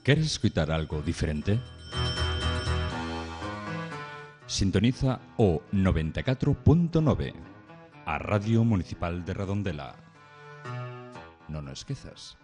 ¿Queres escutar algo diferente? Sintoniza o 94.9, a Radio Municipal de Redondela. Non o esquezas.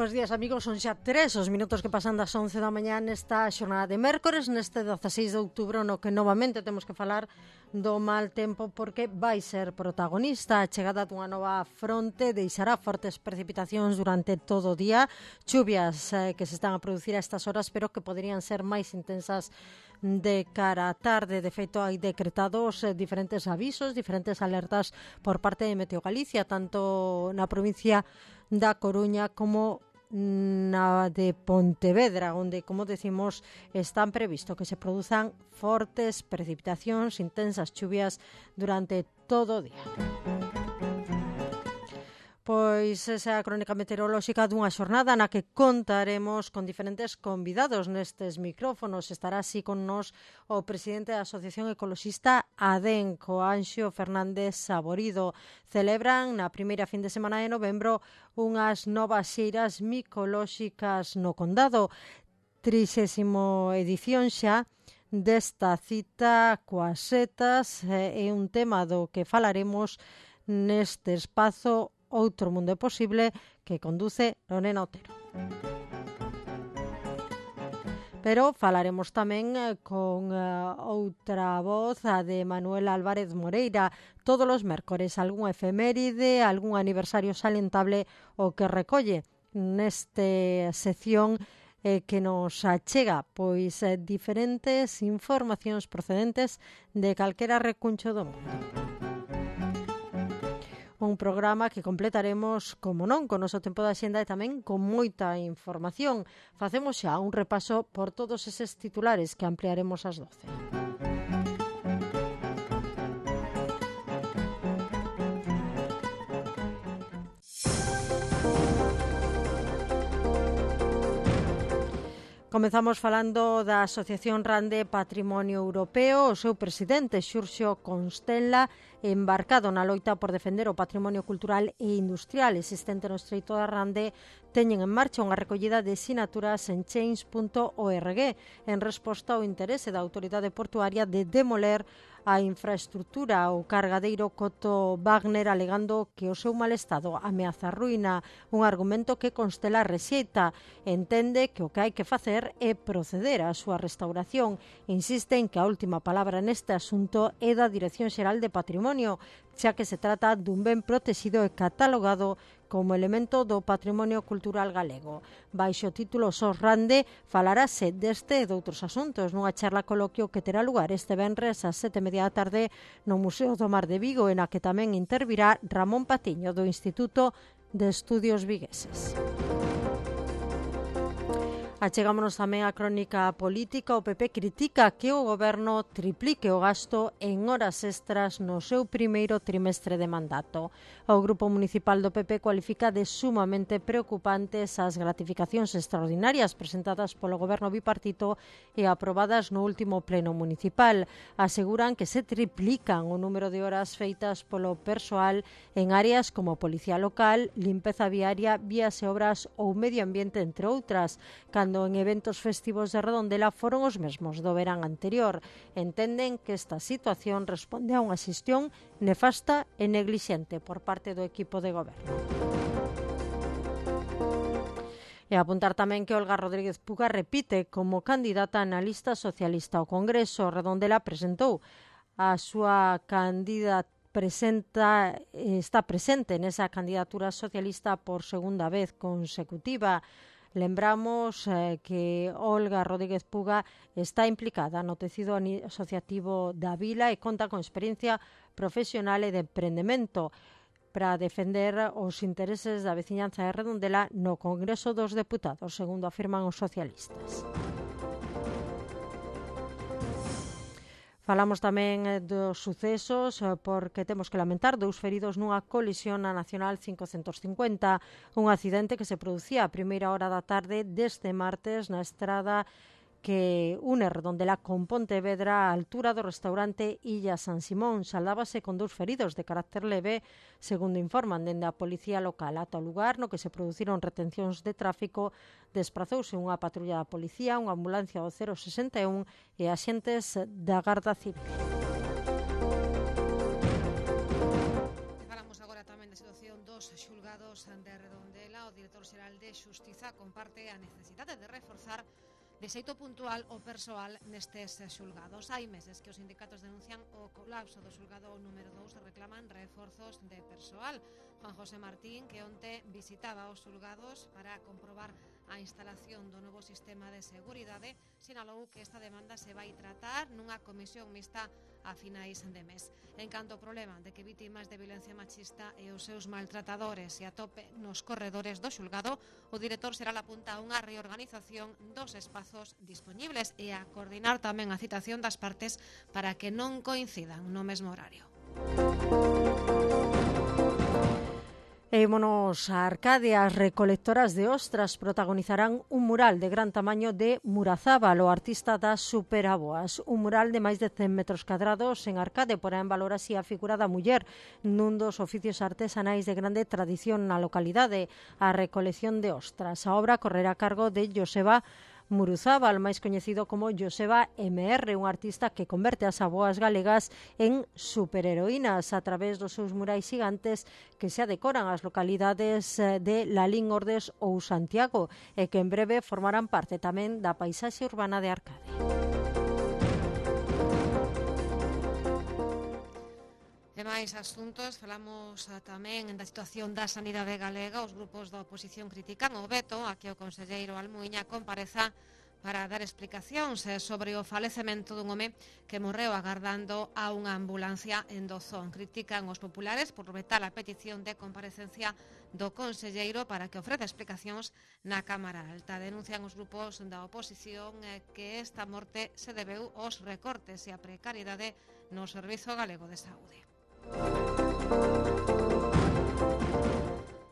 Bos días, amigos, son xa 3 os minutos que pasan das 11 da mañá nesta xornada de mércores, neste 16 de outubro, no que novamente temos que falar do mal tempo, porque vai ser protagonista. A chegada dunha nova fronte deixará fortes precipitacións durante todo o día, chuvias que se están a producir a estas horas, pero que poderían ser máis intensas de cara á tarde. De feito, hai decretados diferentes avisos, diferentes alertas por parte de Meteo Galicia, tanto na provincia da Coruña como na de Pontevedra, onde, como decimos, están previsto que se produzan fortes precipitacións, intensas chuvias durante todo o día. Pois esa é a crónica meteorolóxica dunha xornada na que contaremos con diferentes convidados nestes micrófonos. Estará así con nos o presidente da Asociación Ecoloxista ADENCO, Anxo Fernández Saborido. Celebran na primeira fin de semana de novembro unhas novas xeiras micolóxicas no Condado. 30ª edición xa desta cita coas setas, é un tema do que falaremos neste espazo Outro Mundo é Posible, que conduce Lorena Otero. Pero falaremos tamén con outra voz, a de Manuel Álvarez Moreira, todos os mércores, algún efeméride, algún aniversario salientable o que recolle neste sección que nos achega pois diferentes informacións procedentes de calquera recuncho do mundo. Un programa que completaremos, como non, con o noso tempo de axenda e tamén con moita información. Facemos xa un repaso por todos eses titulares que ampliaremos ás 12. Comezamos falando da Asociación Rande Patrimonio Europeo. O seu presidente, Xurxo Constella, embarcado na loita por defender o patrimonio cultural e industrial existente no Estreito da Rande, teñen en marcha unha recollida de sinaturas en change.org en resposta ao interese da autoridade portuaria de demoler a infraestructura ou cargadeiro Coto Wagner, alegando que o seu mal estado ameaza a ruína, un argumento que Constella rexeita. Entende que o que hai que facer é proceder á súa restauración. Insiste en que a última palabra neste asunto é da Dirección Xeral de Patrimonio, xa que se trata dun ben protexido e catalogado como elemento do patrimonio cultural galego. Baixo o título Sos Rande falarase deste e doutros asuntos nunha charla coloquio que terá lugar este venres ás 7:30 da tarde no Museo do Mar de Vigo, e na que tamén intervirá Ramón Patiño do Instituto de Estudios Vigueses. Achegámonos tamén á crónica política. O PP critica que o goberno triplique o gasto en horas extras no seu primeiro trimestre de mandato. O grupo municipal do PP cualifica de sumamente preocupantes as gratificacións extraordinarias presentadas polo goberno bipartito e aprobadas no último pleno municipal. Aseguran que se triplican o número de horas feitas polo persoal en áreas como policía local, limpeza viaria, vías e obras ou medio ambiente, entre outras, cando en eventos festivos de Redondela foron os mesmos do verán anterior. Entenden que esta situación responde a unha xestión nefasta e neglixente por parte do equipo de goberno. E apuntar tamén que Olga Rodríguez Puga repite como candidata na lista socialista ao Congreso. Redondela presentou a súa está presente nesa candidatura socialista por segunda vez consecutiva. Lembramos que Olga Rodríguez Puga está implicada no tecido asociativo da vila e conta con experiencia profesional e de emprendemento para defender os intereses da veciñanza de Redondela no Congreso dos Deputados, segundo afirman os socialistas. Falamos tamén dos sucesos porque temos que lamentar 2 feridos nunha colisión na Nacional 550, un accidente que se producía a primeira hora da tarde deste martes na estrada que une Redondela con Pontevedra á altura do restaurante Illa San Simón. Saldábase con 2 feridos de carácter leve, segundo informan dende a policía local. Ata o lugar no que se produciron retencións de tráfico desprazouse unha patrulla da policía, unha ambulancia do 061 e axentes da Garda Civil. Falamos agora tamén da situación dos xulgados de Redondela. O director xeral de Xustiza comparte a necesidade de reforzar de xeito puntual o persoal nestes xulgados. Hai meses que os sindicatos denuncian o colapso do xulgado número 2 e reclaman reforzos de persoal. Juan José Martín, que onte visitaba os xulgados para comprobar a instalación do novo sistema de seguridade, sinalou que esta demanda se vai tratar nunha comisión mixta a finais de mes. En canto ao problema de que vítimas de violencia machista e os seus maltratadores se atope nos corredores do xulgado, o director xeral apunta a unha reorganización dos espazos dispoñibles e a coordinar tamén a citación das partes para que non coincidan no mesmo horario. E ímonos a Arcadia. As recolectoras de ostras protagonizarán un mural de gran tamaño de Murazábal, o artista das superaboas. Un mural de máis de 100 metros cadrados en Arcade porá en valor así a figura da muller nun dos oficios artesanais de grande tradición na localidade, a recolección de ostras. A obra correrá a cargo de Joseba Muruzábal, máis coñecido como Joseba MR, un artista que converte as aboas galegas en superheroínas a través dos seus murais gigantes que se adecoran ás localidades de Lalín, Ordes ou Santiago e que en breve formarán parte tamén da paisaxe urbana de Arcade. E máis asuntos, falamos tamén da situación da sanidade galega. Os grupos da oposición critican o veto a que o conselleiro Almuíña compareza para dar explicacións sobre o falecemento dun home que morreu agardando a unha ambulancia en Dozón. Critican os populares por vetar a petición de comparecencia do conselleiro para que ofreza explicacións na Cámara Alta. Denuncian os grupos da oposición que esta morte se debeu aos recortes e a precariedade no Servizo Galego de Saúde.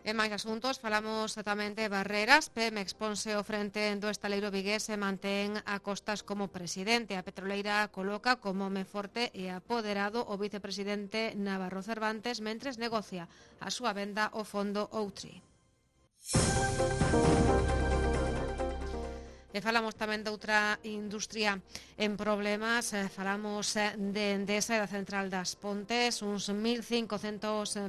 En máis asuntos, falamos tamén de Barreras. Pemex ponse ao frente do estaleiro vigués e mantén a Costas como presidente. A petroleira coloca como home forte e apoderado o vicepresidente Navarro Cervantes mentres negocia a súa venda ao fondo Outri. E falamos tamén de outra industria en problemas. Falamos de Endesa e da Central das Pontes. Uns 1.500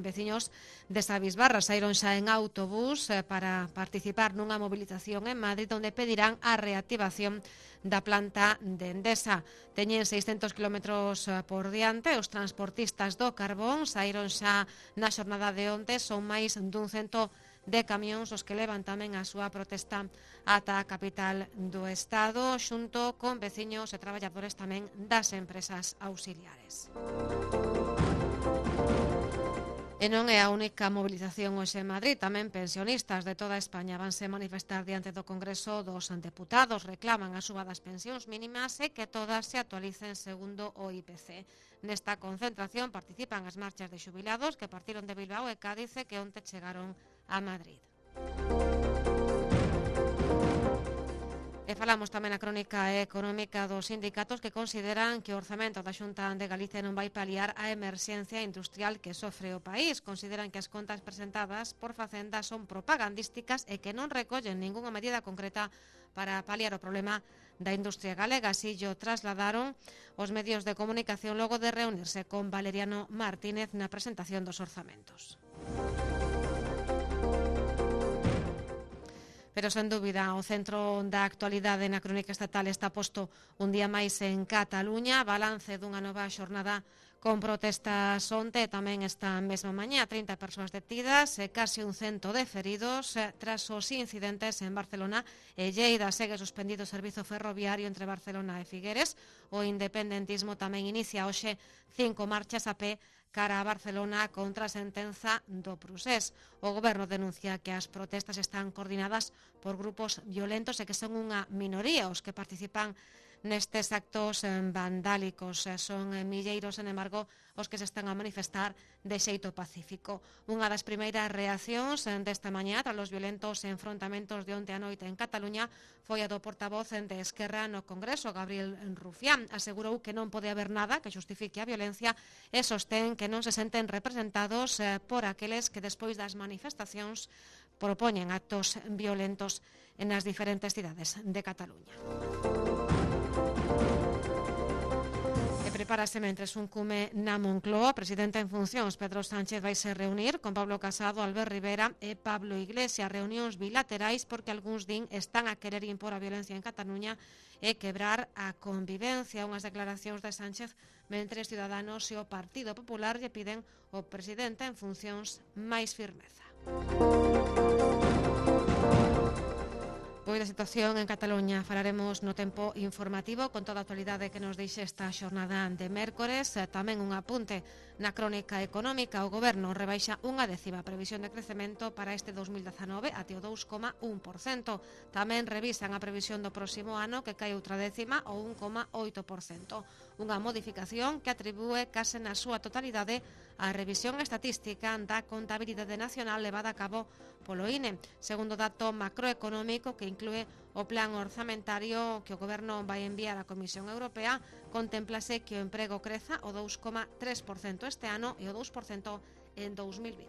veciños de Sabisbarra saíron xa en autobús para participar nunha movilización en Madrid onde pedirán a reactivación da planta de Endesa. Teñen 600 kilómetros por diante. Os transportistas do carbón saíron xa na xornada de onte. Son máis dun cento de camións os que levan tamén a súa protesta ata a capital do Estado, xunto con veciños e traballadores tamén das empresas auxiliares. E non é a única movilización hoxe en Madrid, tamén pensionistas de toda España vanse manifestar diante do Congreso dos Deputados, reclaman a suba das pensións mínimas e que todas se actualicen segundo o IPC. Nesta concentración participan as marchas de xubilados que partiron de Bilbao e Cádiz e que onte chegaron a Madrid. E falamos tamén na crónica económica dos sindicatos que consideran que o orzamento da Xunta de Galicia non vai paliar a emerxencia industrial que sofre o país. Consideran que as contas presentadas por Facenda son propagandísticas e que non recollen ningunha medida concreta para paliar o problema da industria galega. Así o trasladaron os medios de comunicación logo de reunirse con Valeriano Martínez na presentación dos orzamentos. Pero, sen dúbida, o centro da actualidade na crónica estatal está posto un día máis en Cataluña. Balance dunha nova xornada con protestas onte, tamén esta mesma mañá. 30 persoas detidas e case un 100 de feridos tras os incidentes en Barcelona e Lleida. Segue suspendido o servizo ferroviario entre Barcelona e Figueres. O independentismo tamén inicia hoxe 5 marchas a pé cara a Barcelona contra a sentenza do Procés. O goberno denuncia que as protestas están coordinadas por grupos violentos e que son unha minoría os que participan nestes actos vandálicos. Son milleiros, sen embargo, os que se están a manifestar de xeito pacífico. Unha das primeiras reaccións desta mañá tras os violentos enfrontamentos de onte a noite en Cataluña foi a do portavoz de Esquerra no Congreso, Gabriel Rufián. Asegurou que non pode haber nada que xustifique a violencia e sostén que non se senten representados por aqueles que despois das manifestacións propoñen actos violentos nas diferentes cidades de Cataluña. Prepárase mentres un cume na Moncloa. O presidente en funcións, Pedro Sánchez, vai se reunir con Pablo Casado, Albert Rivera e Pablo Iglesias. Reunións bilaterais porque algúns din están a querer impor a violencia en Cataluña e quebrar a convivencia. Unhas declaracións de Sánchez mentres Ciudadanos e o Partido Popular lle piden ao presidente en funcións máis firmeza. Pois da situación en Cataluña falaremos no tempo informativo con toda a actualidade que nos deixe esta xornada de mércores. Tamén un apunte na crónica económica. O Goberno rebaixa unha décima previsión de crecemento para este 2019 até o 2,1%. Tamén revisan a previsión do próximo ano que cae outra décima o 1,8%. Unha modificación que atribúe case na súa totalidade a revisión estatística da contabilidade nacional levada a cabo polo INE. Segundo dato macroeconómico que inclúe o plan orzamentario que o Goberno vai enviar á Comisión Europea, contémplase que o emprego creza o 2,3% este ano e o 2% en 2020.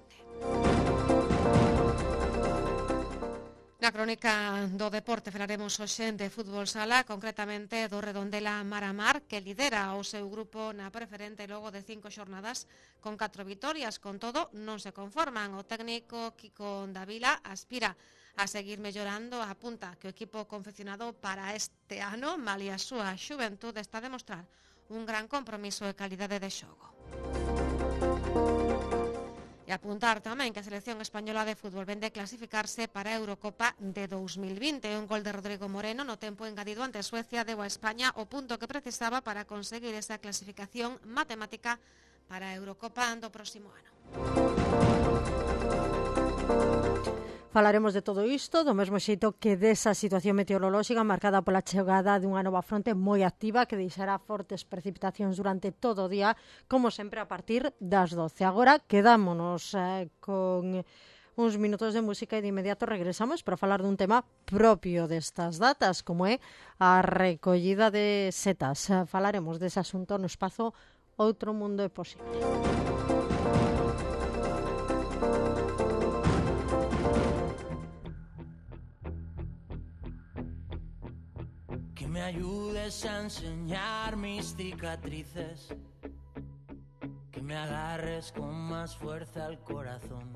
Na crónica do deporte falaremos hoxe de fútbol sala, concretamente do Redondela Mar-a-Mar, que lidera o seu grupo na preferente logo de 5 xornadas con 4 vitorias. Con todo, non se conforman. O técnico Kiko Davila aspira a seguir mellorando. Apunta que o equipo confeccionado para este ano, malia a súa xuventude, está a demostrar un gran compromiso e calidade de xogo. E apuntar tamén que a selección española de fútbol vende clasificarse para a Eurocopa de 2020. Un gol de Rodrigo Moreno no tempo engadido ante Suecia deu a España o punto que precisaba para conseguir esa clasificación matemática para a Eurocopa do próximo ano. Falaremos de todo isto, do mesmo xeito que desa situación meteorolóxica marcada pola chegada dunha nova fronte moi activa que deixará fortes precipitacións durante todo o día, como sempre a partir das 12. Agora quedámonos con uns minutos de música e de inmediato regresamos para falar dun tema propio destas datas, como é a recollida de setas. Falaremos dese asunto no espazo Outro Mundo é Posible. Que me ayudes a enseñar mis cicatrices, que me agarres con más fuerza al corazón,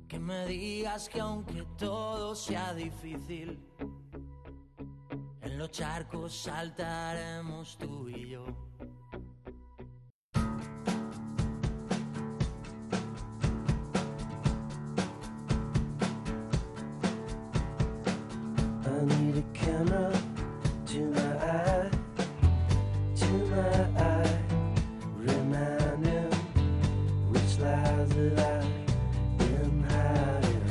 que me digas que aunque todo sea difícil, en los charcos saltaremos tú y yo. I need a camera to my eye, reminding which lies that I've been hiding,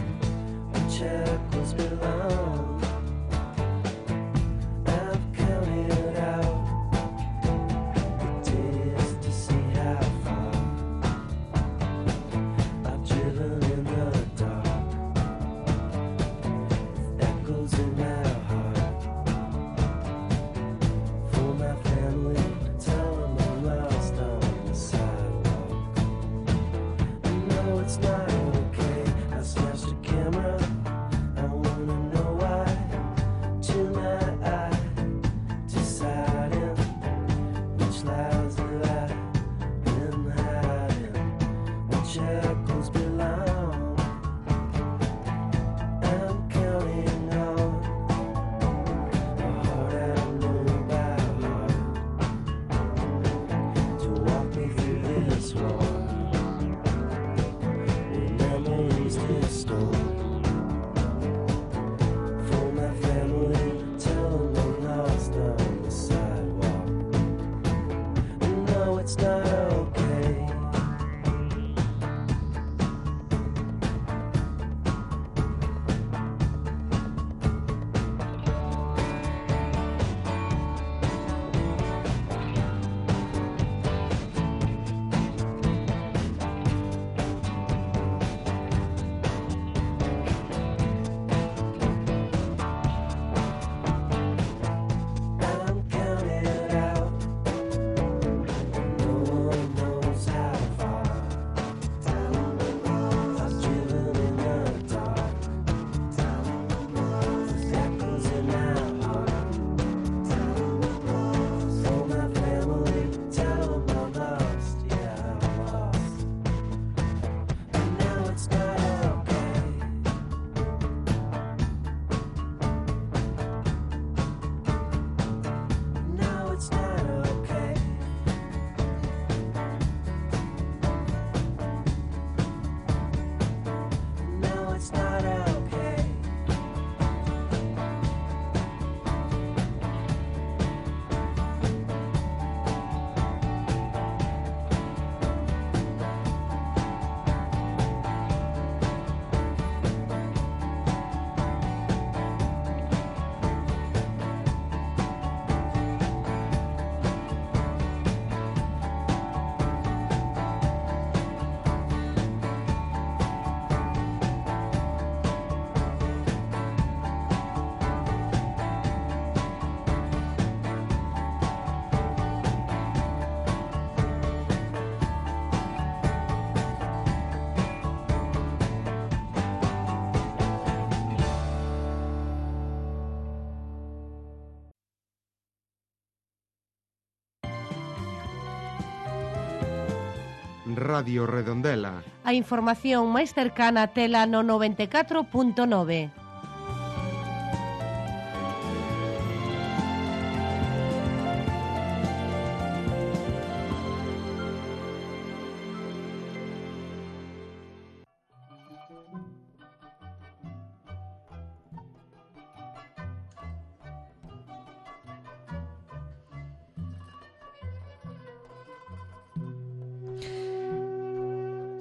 which echoes belong. I've counted out the days to see how far I've driven in the dark, echoes in my heart. Radio Redondela. A información máis cercana tela no 94.9.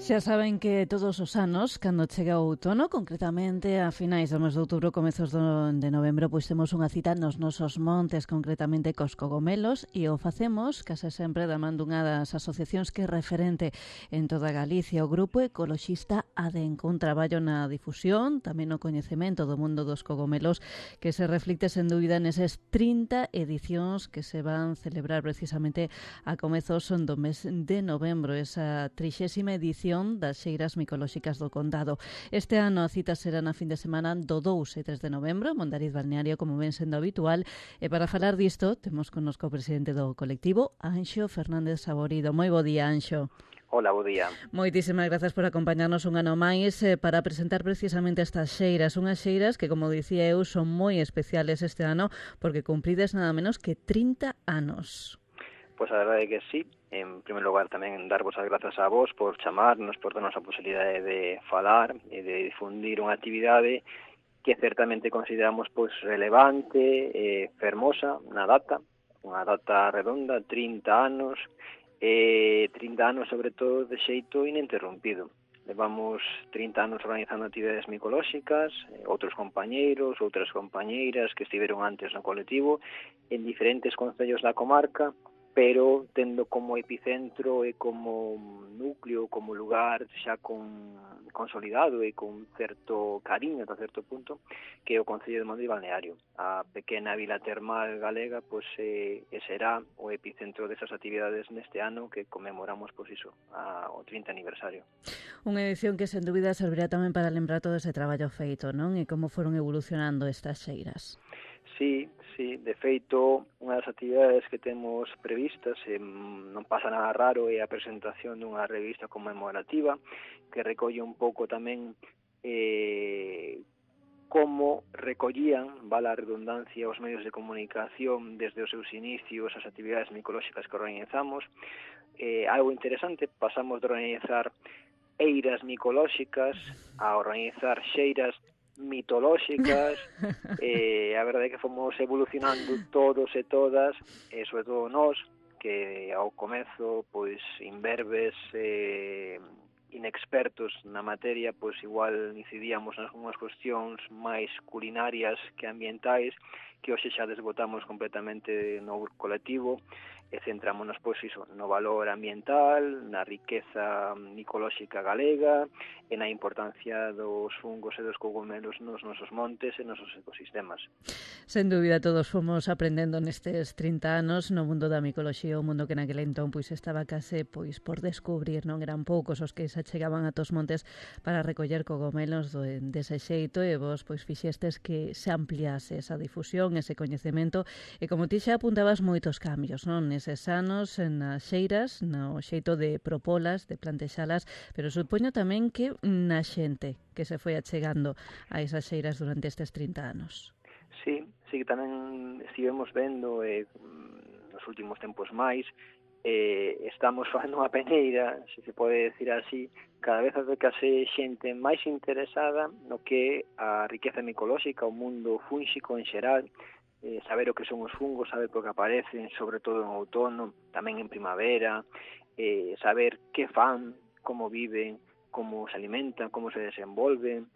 Xa saben que todos os anos, cando chega o outono, concretamente a finais do mes de outubro, comezos de novembro, pois temos unha cita nos nosos montes, concretamente cos cogomelos, e o facemos case sempre da man dunha das asociacións que é referente en toda Galicia, o Grupo Ecoloxista Adenco, un traballo na difusión, tamén no coñecemento do mundo dos cogomelos, que se reflicte sen dúbida neses 30 edicións que se van celebrar precisamente a comezos do mes de novembro, esa 30ª edición das Xeiras Micolóxicas do Condado. Este ano a cita será na fin de semana do 2 e 3 de novembro, Mondariz Balneario, como ven sendo habitual, e para falar disto temos connosco o presidente do colectivo, Anxo Fernández Saborido. Moi bo día, Anxo. Hola, bo día. Moitísimas grazas por acompañarnos un ano máis para presentar precisamente estas xeiras, unhas xeiras que, como dicía eu, son moi especiales este ano porque cumprides nada menos que 30 anos. Pois a verdade é que sí. En primeiro lugar, tamén darvos as grazas a vos por chamarnos, por darnos a posibilidade de falar e de difundir unha actividade que certamente consideramos pois relevante e fermosa na data, unha data redonda, 30 anos, 30 anos sobre todo de xeito ininterrompido. Levamos 30 anos organizando actividades micolóxicas, outros compañeiros, outras compañeiras que estiveron antes no colectivo en diferentes concellos da comarca, pero tendo como epicentro e como núcleo, como lugar xa consolidado e con certo cariño ata certo punto, que é o Concello de Mondariz Balneario. A pequena vila termal galega pois será o epicentro desas actividades neste ano que conmemoramos pois iso, o 30 aniversario. Unha edición que sen dúbida servirá tamén para lembrar todo ese traballo feito, non? E como foron evolucionando estas xeiras. Sí, de feito, unha das actividades que temos previstas, non pasa nada raro, é a presentación dunha revista conmemorativa que recolle un pouco tamén como recollían, vala a redundancia, os medios de comunicación desde os seus inicios, as actividades micolóxicas que organizamos. Algo interesante, pasamos de organizar eiras micolóxicas a organizar xeiras mitolóxicas. A verdade é que fomos evolucionando todos e todas, e sobre todo nós, que ao comezo pois imberbes, inexpertos na materia, pois igual incidíamos nas unhas cuestións máis culinarias que ambientais, que hoxe xa desbotamos completamente no colectivo e centrámonos pois iso, no valor ambiental, na riqueza micolóxica galega e na importancia dos fungos e dos cogomelos nos nosos montes e nos nosos ecosistemas. Sen dúbida todos fomos aprendendo nestes 30 anos no mundo da micoloxía, o mundo que naquele entón pois estaba case pois por descubrir, non eran poucos os que se achegaban a tos montes para recoller cogomelos dese xeito, e vos pois fixestes que se ampliase esa difusión, ese coñecemento, e como ti xa apuntabas moitos cambios, non? Neses anos, nas xeiras, no xeito de propolas, de plantexalas, pero supoño tamén que na xente que se foi achegando a esas xeiras durante estes 30 anos. Sí, que tamén estivemos vendo nos últimos tempos máis, estamos facendo unha peneira, se pode decir así, cada vez adecase xente máis interesada no que a riqueza micolóxica, o mundo fúnxico en xeral, saber o que son os fungos, saber por que aparecen, sobre todo en outono, tamén en primavera, saber que fan, como viven, como se alimentan, como se desenvolven,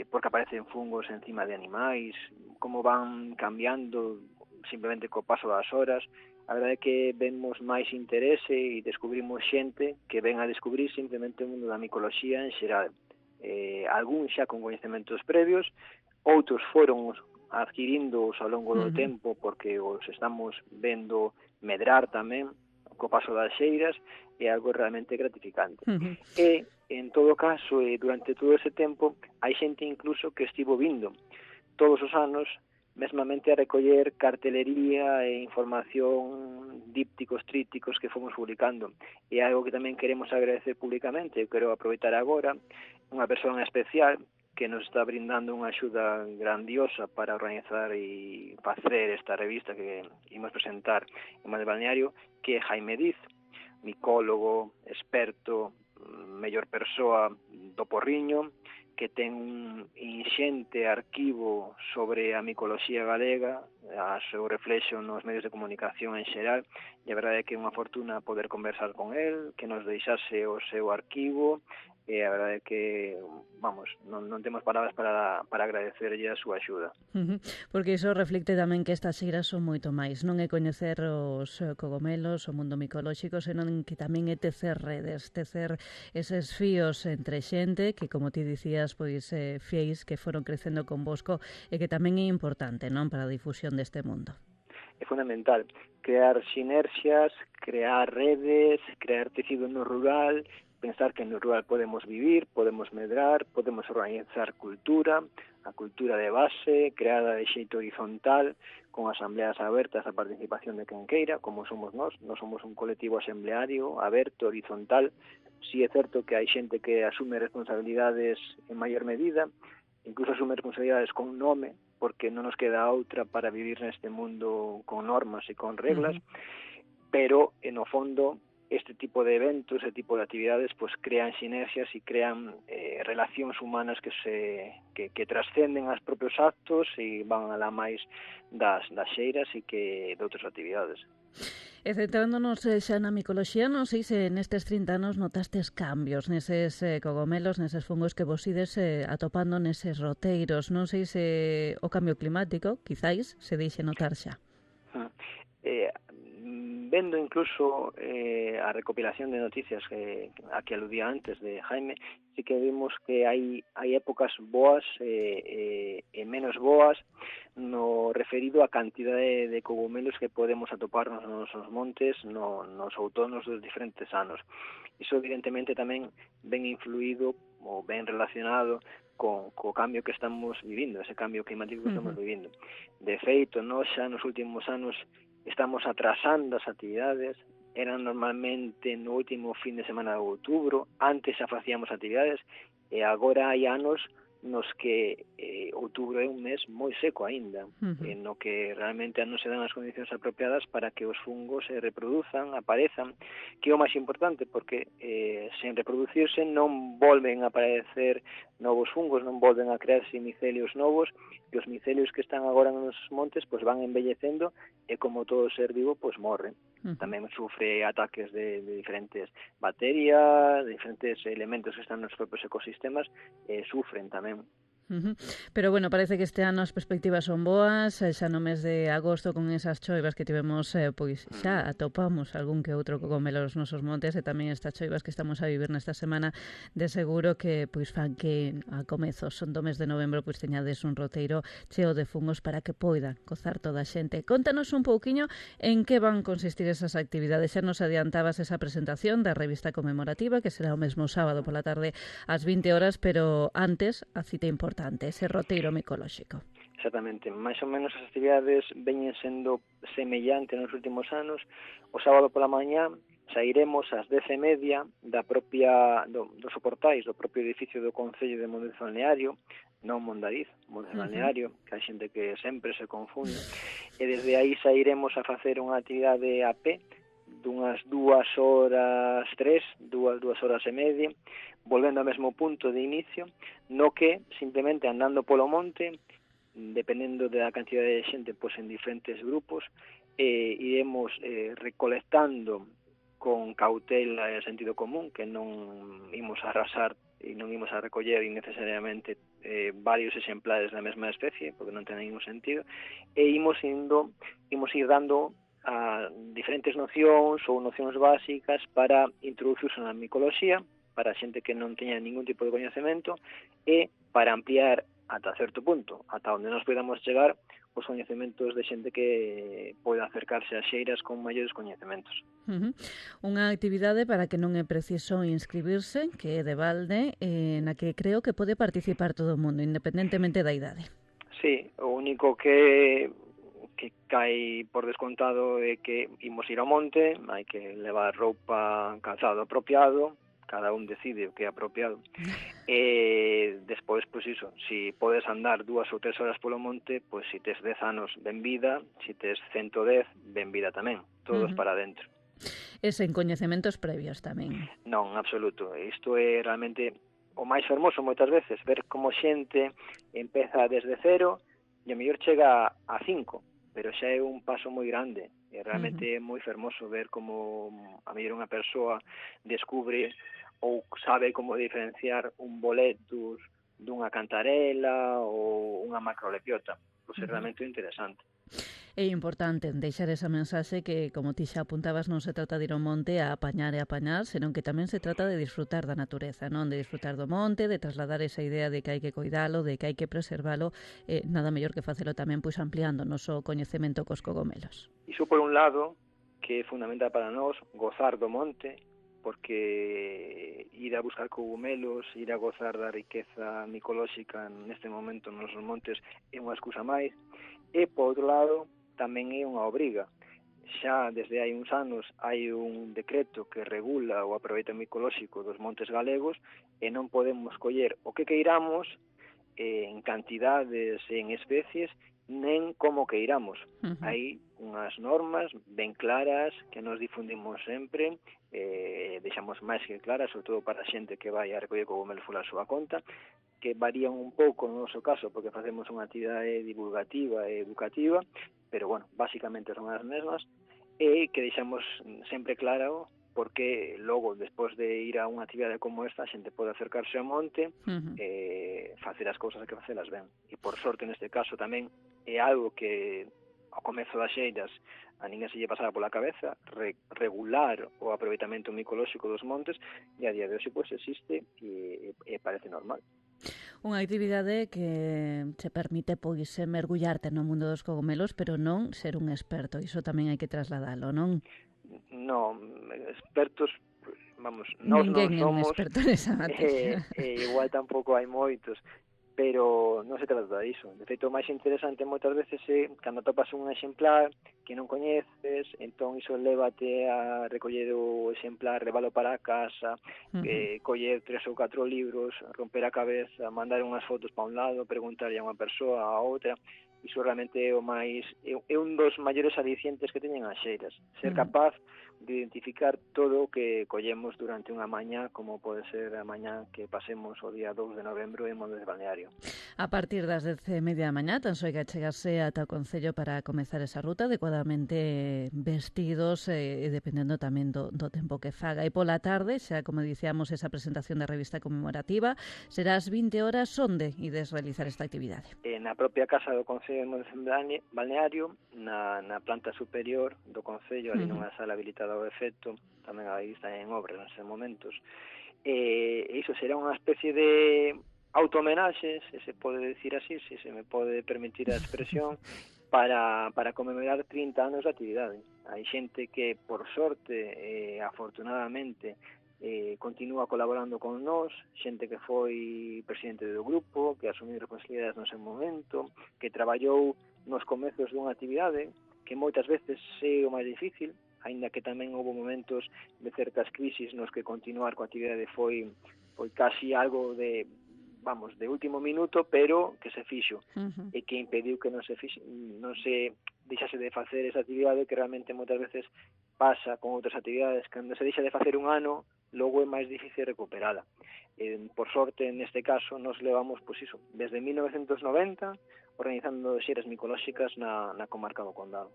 por que aparecen fungos encima de animais, como van cambiando simplemente co paso das horas. A verdade é que vemos máis interese e descubrimos xente que ven a descubrir simplemente o mundo da micoloxía en xeral. Algún xa con coñecementos previos, outros foron adquirindos ao longo do tempo porque os estamos vendo medrar tamén co paso das xeiras, é algo realmente gratificante. E, en todo caso, durante todo ese tempo, hai xente incluso que estivo vindo todos os anos mesmamente a recoller cartelería e información, dípticos, trípticos que fomos publicando. E algo que tamén queremos agradecer públicamente, eu quero aproveitar agora, unha persoa especial que nos está brindando unha axuda grandiosa para organizar e facer esta revista que imos presentar en Mal Balneario, que é Jaime Diz, micólogo, experto, mellor persoa do Porriño, que ten un inxente arquivo sobre a micoloxía galega, a seu reflexo nos medios de comunicación en xeral, e a verdade é que é unha fortuna poder conversar con el, que nos deixase o seu arquivo, e a verdade é que, vamos, non temos palabras para agradecerlle a súa axuda. Porque iso reflicte tamén que estas xeiras son moito máis, non é coñecer os cogomelos, o mundo micolóxico, senón que tamén é tecer redes, tecer eses fíos entre xente que, como ti dicías, pois fieis que foron crecendo convosco e que tamén é importante, non, para a difusión deste mundo. É fundamental crear sinerxias, crear redes, crear tecido no rural, pensar que no rural podemos vivir, podemos medrar, podemos organizar cultura, a cultura de base, creada de xeito horizontal, con asambleas abertas a participación de quen queira, como somos nós somos un colectivo asambleario, aberto, horizontal. Si é certo que hai xente que asume responsabilidades en maior medida, incluso asume responsabilidades con nome, porque non nos queda outra para vivir neste mundo con normas e con reglas, pero, no fondo, este tipo de eventos, este tipo de actividades, pues crean sinerxias e crean relacións humanas que trascenden aos propios actos e van alá máis das xeiras e que de outras actividades. E centrándonos xa na micoloxía, non sei se nestes 30 anos notastes cambios neses cogomelos, neses fungos que vos ides atopando neses roteiros. Non sei se o cambio climático, quizáis, se deixe notar xa. Vendo incluso a recopilación de noticias a que aludía antes de Jaime, sí que vimos que hai épocas boas e menos boas no referido a cantidade de cogomelos que podemos atopar nos nosos montes nos outonos dos diferentes anos. Iso evidentemente tamén ben influído ou ben relacionado co cambio que estamos vivindo, ese cambio climático que estamos vivindo. De feito, nós xa nos últimos anos estamos atrasando as actividades, eran normalmente no último fin de semana de outubro, antes xa facíamos actividades, e agora hai anos nos que outubro é un mes moi seco aínda, no que realmente non se dan as condicións apropiadas para que os fungos se reproduzan, aparezan, que é o máis importante, porque sen reproducirse non volven a aparecer novos fungos, non volven a crearse micelios novos, e os micelios que están agora nos montes pues van envellecendo e como todo ser vivo pues morre. Tamén sufre ataques de diferentes bacterias, de diferentes elementos que están nos propios ecosistemas, sufren tamén. Pero bueno, parece que este ano as perspectivas son boas, xa no mes de agosto con esas choivas que tivemos, pois xa atopamos algún que outro cogomelo nos nosos montes, e tamén estas choivas que estamos a vivir nesta semana, de seguro que pois fan que a comezos do mes de novembro pois teñades un roteiro cheo de fungos para que poida gozar toda a xente. Contanos un pouquiño en que van consistir esas actividades. Xa nos adiantabas esa presentación da revista conmemorativa, que será o mesmo sábado pola tarde ás 20 horas, pero antes a cita importante, ese roteiro micolóxico. Exactamente, máis ou menos as actividades veñen sendo semellantes nos últimos anos. O sábado pola mañá sairemos ás 10:30 dos portais do propio edificio do Concello de Mondariz Balneario, non Mondariz, Mondariz Balneario, que hai xente que sempre se confunde, e desde aí sairemos a facer unha actividade a pé dunhas 2 horas e media, volvendo ao mesmo punto de inicio, no que simplemente andando polo monte, dependendo da cantidade de xente, pois en diferentes grupos, iremos recolectando con cautela e sentido común, que non imos a arrasar e non imos a recoller innecesariamente varios exemplares da mesma especie, porque non ten ningún sentido, e imos ir dando a diferentes nocións ou nocións básicas para introducirse na micoloxía, para a xente que non teña ningún tipo de coñecemento, e para ampliar ata certo punto, ata onde nos podamos chegar, os coñecementos de xente que poida acercarse ás xeiras con maiores coñecementos. Unha actividade para que non é preciso inscribirse, que é de balde, na que creo que pode participar todo o mundo, independentemente da idade. Sí, o único que cae por descontado é que imos ir ao monte, hai que levar roupa, calzado apropiado, cada un decide o que é apropiado. E despois, pois iso, si podes andar 2 ou 3 horas polo monte, pois si tes 10 anos, ben vida, si tes 110, ben vida tamén, todos para dentro. E sen coñecementos previos tamén. Non, en absoluto, isto é realmente o máis fermoso moitas veces, ver como xente empeza desde cero e a mellor chega a 5, pero xa é un paso moi grande. E realmente é moi fermoso ver como a mellor unha persoa descubre ou sabe como diferenciar un boletus dunha cantarela ou unha macrolepiota. Pois é realmente interesante. É importante deixar esa mensaxe que, como ti xa apuntabas, non se trata de ir ao monte a apañar e apañar, senón que tamén se trata de disfrutar da natureza, non? De disfrutar do monte, de trasladar esa idea de que hai que coidalo, de que hai que preservalo, nada mellor que facelo tamén pois ampliando o noso coñecemento cos cogomelos. Iso por un lado, que é fundamental para nós, gozar do monte, porque ir a buscar cogumelos, ir a gozar da riqueza micolóxica neste momento nos nosos montes é unha excusa máis, e por outro lado tamén é unha obriga. Xa desde hai uns anos hai un decreto que regula o aproveitamento micolóxico dos montes galegos e non podemos coller o que queiramos en cantidades e en especies nen como queiramos. Hai unhas normas ben claras que nos difundimos sempre, deixamos máis que claras, sobre todo para a xente que vai a recoller cogumelos pola súa conta, que varían un pouco no noso caso porque facemos unha actividade divulgativa e educativa, pero bueno, básicamente son as mesmas, e que deixamos sempre claro porque logo, despois de ir a unha actividade como esta, a xente pode acercarse ao monte e facer as cousas que facelas ben. E por sorte, neste caso, tamén é algo que ao comezo das xeiras a ninguén se lle pasaba pola cabeza, regular o aproveitamento micolóxico dos montes, e a día de hoxe pois existe e parece normal. Unha actividade que te permite pois mergullarte no mundo dos cogomelos, pero non ser un experto. Iso tamén hai que trasladalo, non? Non, expertos, vamos, nós non somos. Ninguén é un experto nesa materia. Igual tampouco hai moitos, pero non se trata diso. De feito, o máis interesante moitas veces é cando topas un exemplar que non coñeces, entón iso lévate a recoller o exemplar, leválo para a casa, coller 3 ou 4 libros, romper a cabeza, mandar unhas fotos para un lado, preguntarlle a unha persoa, a outra. Iso realmente é o máis, é un dos maiores alicientes que teñen as xeiras, ser capaz de identificar todo o que collemos durante unha mañá, como pode ser a mañá que pasemos o día 2 de novembro en Montes Balneario. A partir das 10:30 da mañá, tan só hai que chegarse ata o Concello para comezar esa ruta, adecuadamente vestidos e dependendo tamén do tempo que faga. E pola tarde, xa como dicíamos, esa presentación da revista conmemorativa, será ás 20 horas onde ides realizar esta actividade? Na propia casa do Concello de Montes Balneario, na planta superior do Concello, ali nunha sala habilitada ao efecto, tamén aí está en obras nestes momentos. E iso será unha especie de autohomenaxe, se se pode decir así, se se me pode permitir a expresión, para conmemorar 30 anos de actividade. Hai xente que, por sorte, afortunadamente, continúa colaborando con nós, xente que foi presidente do grupo, que asumiu responsabilidades no seu momento, que traballou nos comezos dunha actividade, que moitas veces é o máis difícil, aínda que tamén houve momentos de certas crisis nos que continuar coa actividade foi casi algo de último minuto, pero que se fixo, e que impediu que non se deixase de facer esa actividade que realmente moitas veces pasa con outras actividades, cando se deixa de facer un ano, logo é máis difícil recuperala. Por sorte, neste caso, nos levamos, pois iso, desde 1990, organizando xeiras micolóxicas na comarca do Condado.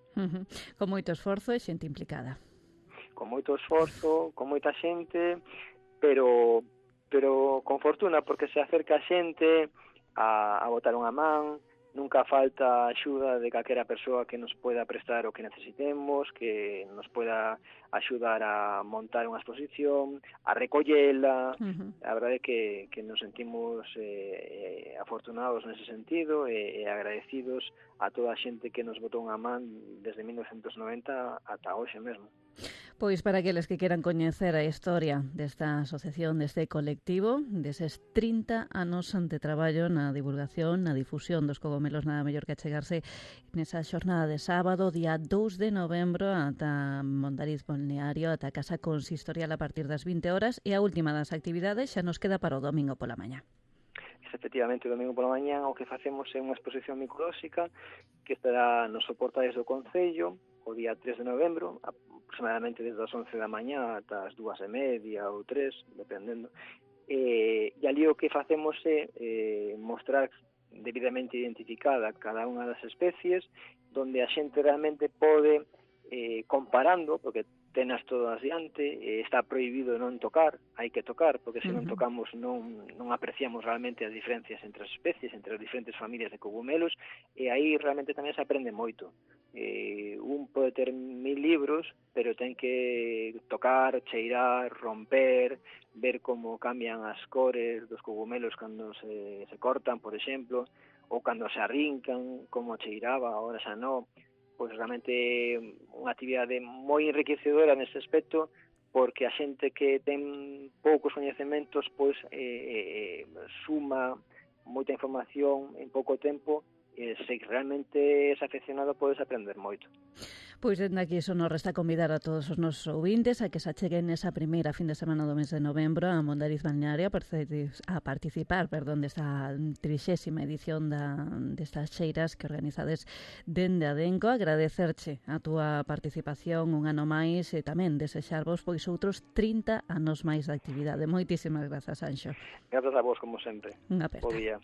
Con moito esforzo e xente implicada. Con moito esforzo, con moita xente, pero con fortuna, porque se acerca a xente a botar unha man, nunca falta axuda de calquera persoa que nos pueda prestar o que necesitemos, que nos pueda axudar a montar unha exposición, a recollela. A verdade é que nos sentimos afortunados nese sentido e agradecidos a toda a xente que nos botou unha man desde 1990 ata hoxe mesmo. Pois para aqueles que queran coñecer a historia desta asociación, deste colectivo, deses 30 anos de traballo na divulgación, na difusión dos cogomelos, nada mellor que achegarse nesa xornada de sábado, día 2 de novembro, ata Mondariz Balneario, ata a Casa Consistorial a partir das 20 horas, e a última das actividades xa nos queda para o domingo pola mañá. Efectivamente, o domingo pola mañá o que facemos é unha exposición micolóxica que estará nos soportais do Concello o día 3 de novembro, aproximadamente desde as 11 da mañá ata as 2:30 ou 3, dependendo. E ali o que facemos é mostrar debidamente identificada cada unha das especies, donde a xente realmente pode, comparando, porque tenas todas diante, está prohibido non tocar, hai que tocar, porque se non tocamos non apreciamos realmente as diferencias entre as especies, entre as diferentes familias de cogumelos, e aí realmente tamén se aprende moito. Un pode ter 1000 libros, pero ten que tocar, cheirar, romper, ver como cambian as cores dos cogumelos cando se cortan, por exemplo, ou cando se arrincan, como cheiraba, ahora xa non. Pois realmente unha actividade moi enriquecedora nese aspecto, porque a xente que ten poucos coñecementos pois suma moita información en pouco tempo, e se realmente és afeccionado podes aprender moito. Pois dende aquí só nos resta convidar a todos os nosos ouvintes a que se acheguen nesa primeira fin de semana do mes de novembro a Mondariz Balneario a participar desta 30ª edición destas xeiras que organizades dende Adenco. Agradecerche a túa participación un ano máis e tamén desexarvos pois outros 30 anos máis de actividade. Moitísimas grazas, Anxo. Grazas a vos, como sempre. Unha aperta. Bo día.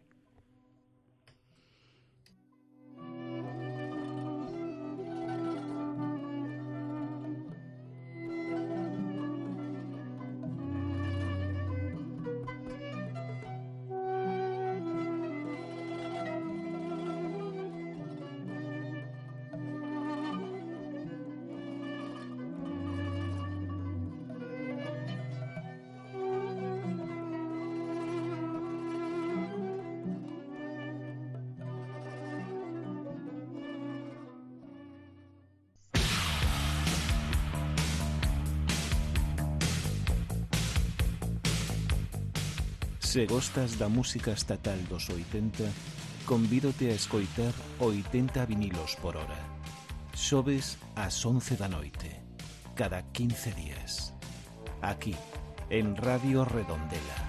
Se gostas da música estatal dos 80, convídote a escoitar 80 vinilos por hora. Xoves ás 11 da noite, cada 15 días. Aquí, en Radio Redondela.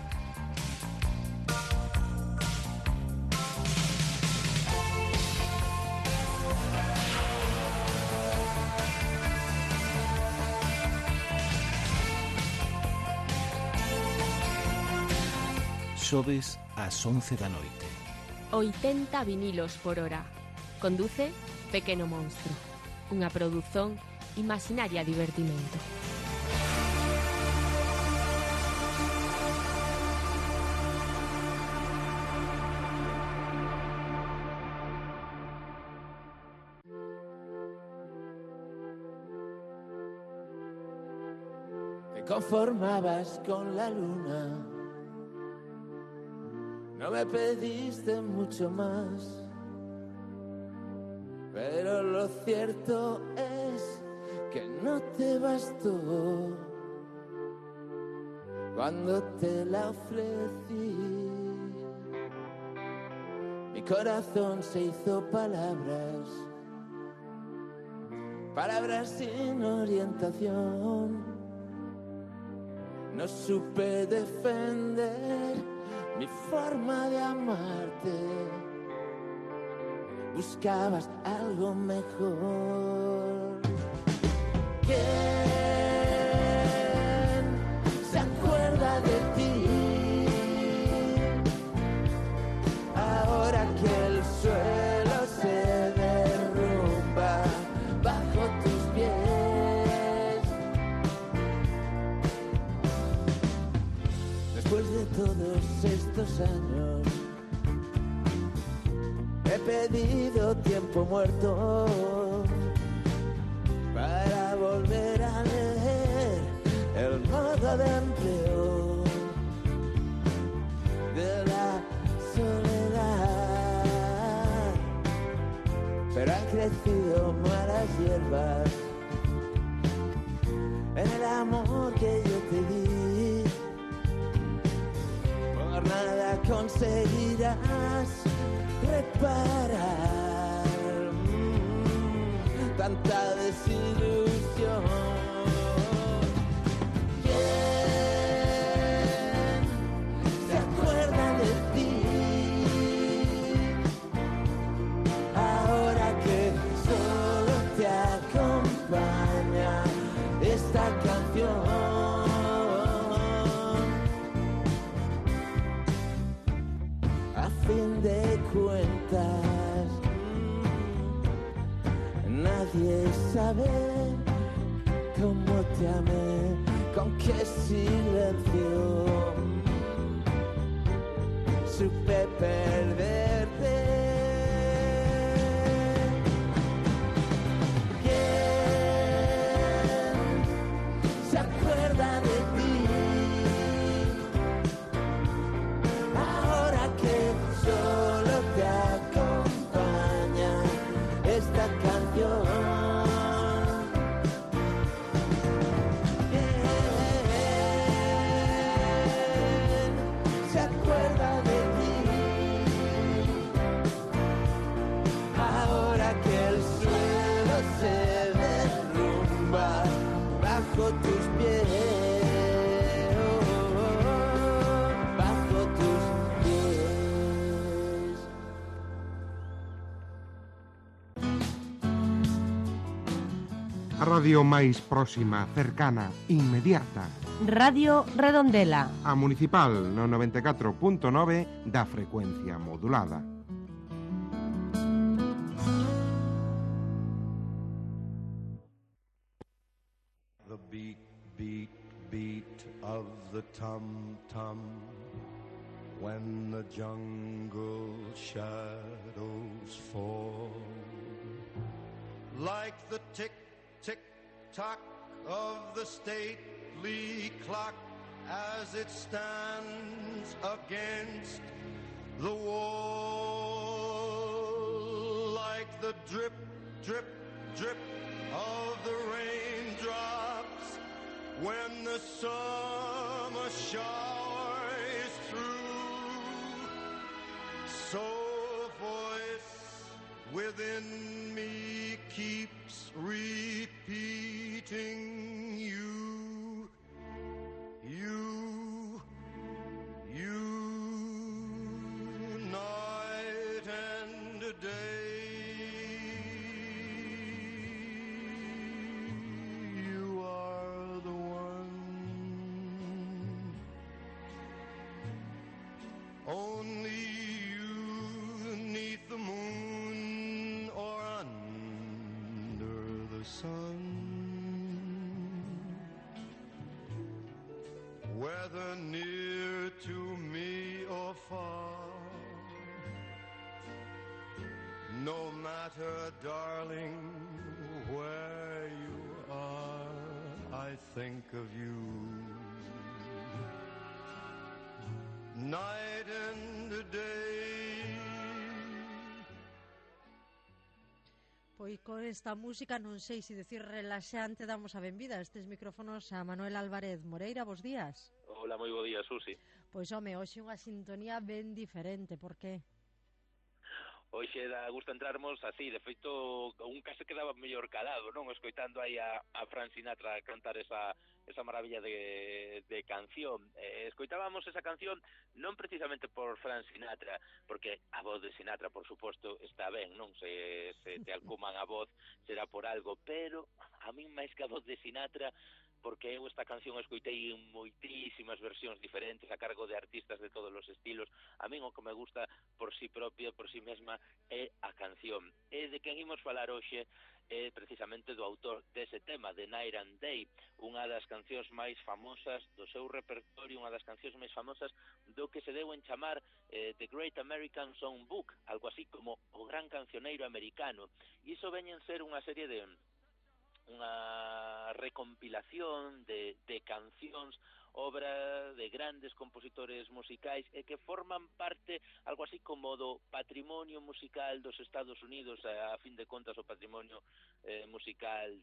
Xoves ás 11 da noite. 80 vinilos por hora. Conduce Pequeno Monstro. Unha produción Imaginaria Divertimento. Te conformabas con la luna. No me pediste mucho más, pero lo cierto es que no te bastó cuando te la ofrecí. Mi corazón se hizo palabras, palabras sin orientación. No supe defender mi forma de amarte, buscabas algo mejor. ¿Quién se acuerda de ti? Ahora que el suelo se derrumba bajo tus pies. Después de todos estos años he pedido tiempo muerto para volver a leer el modo de empleo de la soledad. Pero han crecido malas hierbas en el amor que yo te di. Por nada conseguirás reparar tanta desilusión. ¿Quién se acuerda de ti ahora que solo te acompaña esta canción? A fin de cuentas, nadie sabe cómo te amé, con qué silencio supe perderte. ¿Quién se acuerda de ti ahora que solo te acompaña esta canción? ¿Quién se acuerda de ti ahora que el suelo se derrumba bajo tus pies? Bajo tus pies. A radio máis próxima, cercana, inmediata. Radio Redondela. A Municipal no 94.9 da frecuencia modulada. The beat, beat, beat of the tum-tum when the jungle shadows fall, like the tick, tick, tock of the stately clock as it stands against the wall, like the drip, drip, drip of the raindrops when the summer shower is through. So a voice within me keeps repeating you, you, you, night and day. You are the one. Only you, 'neath the moon or under the sun, whether near to me or far, no matter, darling, where you are, I think of you. Night and day. Pois con esta música non sei se decir relaxante damos a benvida a estes micrófonos a Manuel Álvarez Moreira. Bos días. Hola, moi bo día, Susi. Pois home, hoxe unha sintonía ben diferente, por que? Hoxe dá gusto entrarmos así, de feito, un case quedaba mellor calado, non? Escoitando aí a Frank Sinatra cantar esa maravilla de canción. Escoitábamos esa canción non precisamente por Frank Sinatra, porque a voz de Sinatra, por suposto, está ben, non? Se te alcuman a voz será por algo, pero a min máis que a voz de Sinatra, porque eu esta canción escoitei en moitísimas versións diferentes a cargo de artistas de todos os estilos. A min o que me gusta por si propia, por si mesma, é a canción. E de quen imos falar hoxe é precisamente do autor dese tema, de Night and Day, unha das cancións máis famosas do seu repertorio, unha das cancións máis famosas do que se deu en chamar The Great American Songbook, algo así como o gran cancioneiro americano. E iso veñen ser unha serie de unha recompilación de cancións, obra de grandes compositores musicais e que forman parte algo así como do patrimonio musical dos Estados Unidos, a fin de contas o patrimonio musical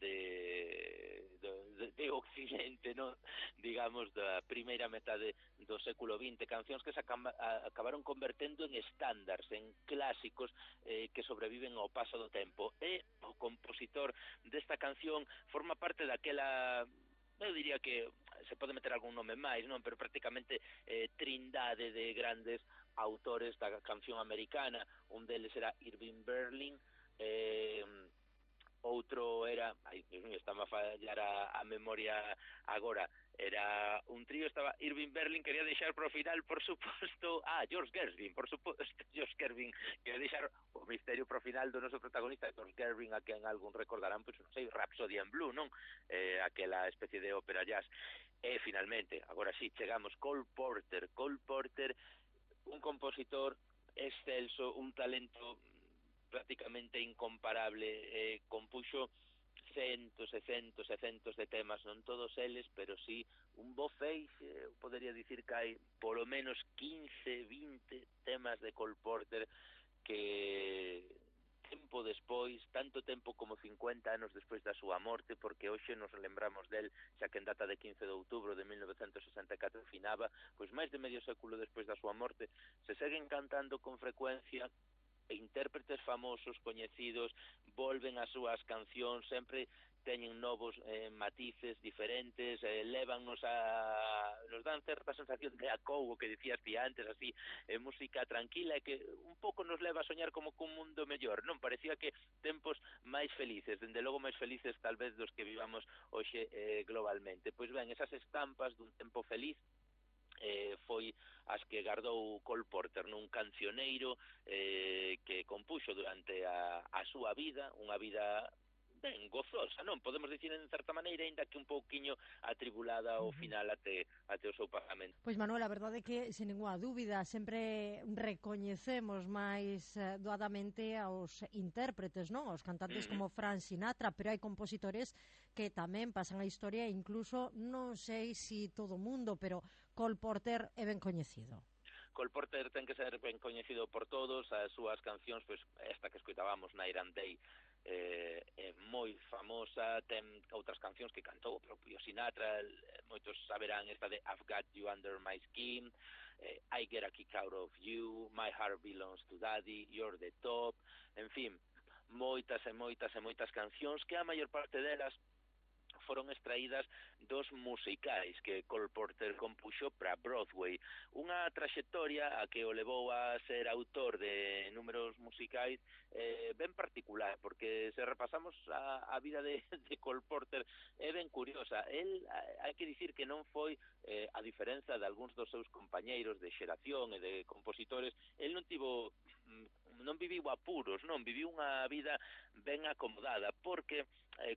de Occidente, non? Digamos, da primeira metade do século XX, cancións que se acabaron convertendo en estándares, en clásicos que sobreviven ao paso do tempo. E o compositor desta canción forma parte daquela, eu diría que se pode meter algún nome máis, non, pero prácticamente trindade de grandes autores da canción americana. Un deles era Irving Berlin, outro era, estaba a fallar a memoria agora, era un trío, estaba Irving Berlin, quería deixar pro final, por suposto, George Gershwin, por suposto, George Gershwin, quería deixar o misterio pro final do noso protagonista, George Gershwin, a quen algún recordarán, pois non sei, Rhapsody in Blue, non? Aquela especie de ópera jazz. E finalmente, agora sí, chegamos, Cole Porter, un compositor excelso, un talento prácticamente incomparable, compuxo centos e centos e centos de temas, non todos eles, pero sí un bo feixe, podería dicir que hai polo menos 15, 20 temas de Cole Porter que tempo despois, tanto tempo como 50 anos despois da súa morte, porque hoxe nos lembramos del, xa que en data de 15 de outubro de 1964 finaba, pois máis de medio século despois da súa morte, se seguen cantando con frecuencia, e intérpretes famosos, coñecidos, volven as súas cancións, sempre teñen novos matices diferentes, lévannos nos dan certa sensación de acougo que dicías ti antes, así, música tranquila, e que un pouco nos leva a soñar como cun mundo mellor, non? Parecía que tempos máis felices, dende logo máis felices tal vez dos que vivamos hoxe globalmente. Pois ben, esas estampas dun tempo feliz foi as que guardou Cole Porter nun cancioneiro que compuxo durante a súa vida, unha vida ben gozosa, non? Podemos dicir en certa maneira, ainda que un pouquiño atribulada ao final até o seu pagamento. Pois Manuel, a verdade é que, sen ninguna dúbida, sempre recoñecemos máis doadamente aos intérpretes, non? Aos cantantes como Frank Sinatra, pero hai compositores que tamén pasan a historia, incluso, non sei si todo o mundo, pero Cole Porter é ben coñecido. Cole Porter ten que ser ben coñecido por todos, as súas cancións, pois esta que escoitábamos, Night and Day, é moi famosa, ten outras cancións que cantou o propio Sinatra, moitos saberán esta de I've Got You Under My Skin, I Get a Kick Out of You, My Heart Belongs to Daddy, You're the Top, en fin, moitas e moitas e moitas cancións que a maior parte delas foron extraídas dos musicais que Cole Porter compuxo para Broadway, unha traxectoria a que o levou a ser autor de números musicais ben particular, porque se repasamos a vida de Cole Porter é ben curiosa. El, hai que dicir que non foi, a diferenza de algúns dos seus compañeiros de xeración e de compositores, el non viviu apuros, non, viviu unha vida ben acomodada, porque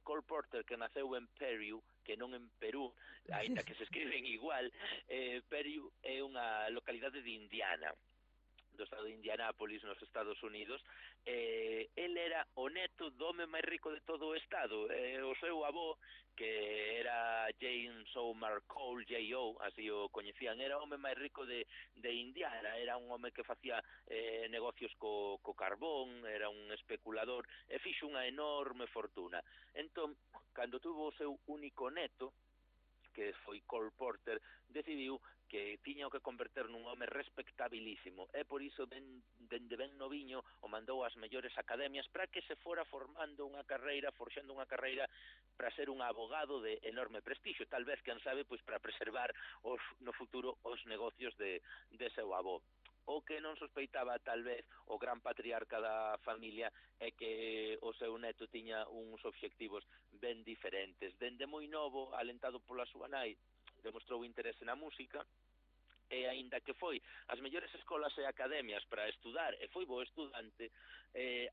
Cole Porter, que naceu en Peru, que non en Perú, aínda que se escriben igual, Peru é unha localidade de Indiana, do estado de Indianápolis, nos Estados Unidos. El era o neto do home máis rico de todo o estado. O seu avó, que era James Omar Cole, J.O., así o coñecían, era o home máis rico de Indiana, era un home que facía negocios co carbón, era un especulador, e fixo unha enorme fortuna. Entón, cando tuvo o seu único neto, que foi Cole Porter, decidiu que tiña que converter nun home respectabilísimo, e por iso dende ben noviño o mandou ás mellores academias para que se fora formando unha carreira, forxando unha carreira para ser un abogado de enorme prestixio, tal vez, quen sabe, pois para preservar no futuro os negocios de seu avó. O que non sospeitaba tal vez o gran patriarca da familia é que o seu neto tiña uns obxectivos ben diferentes. Dende moi novo, alentado pola súa nai, demostrou interese na música, e aínda que foi as mellores escolas e academias para estudar, e foi bo estudante,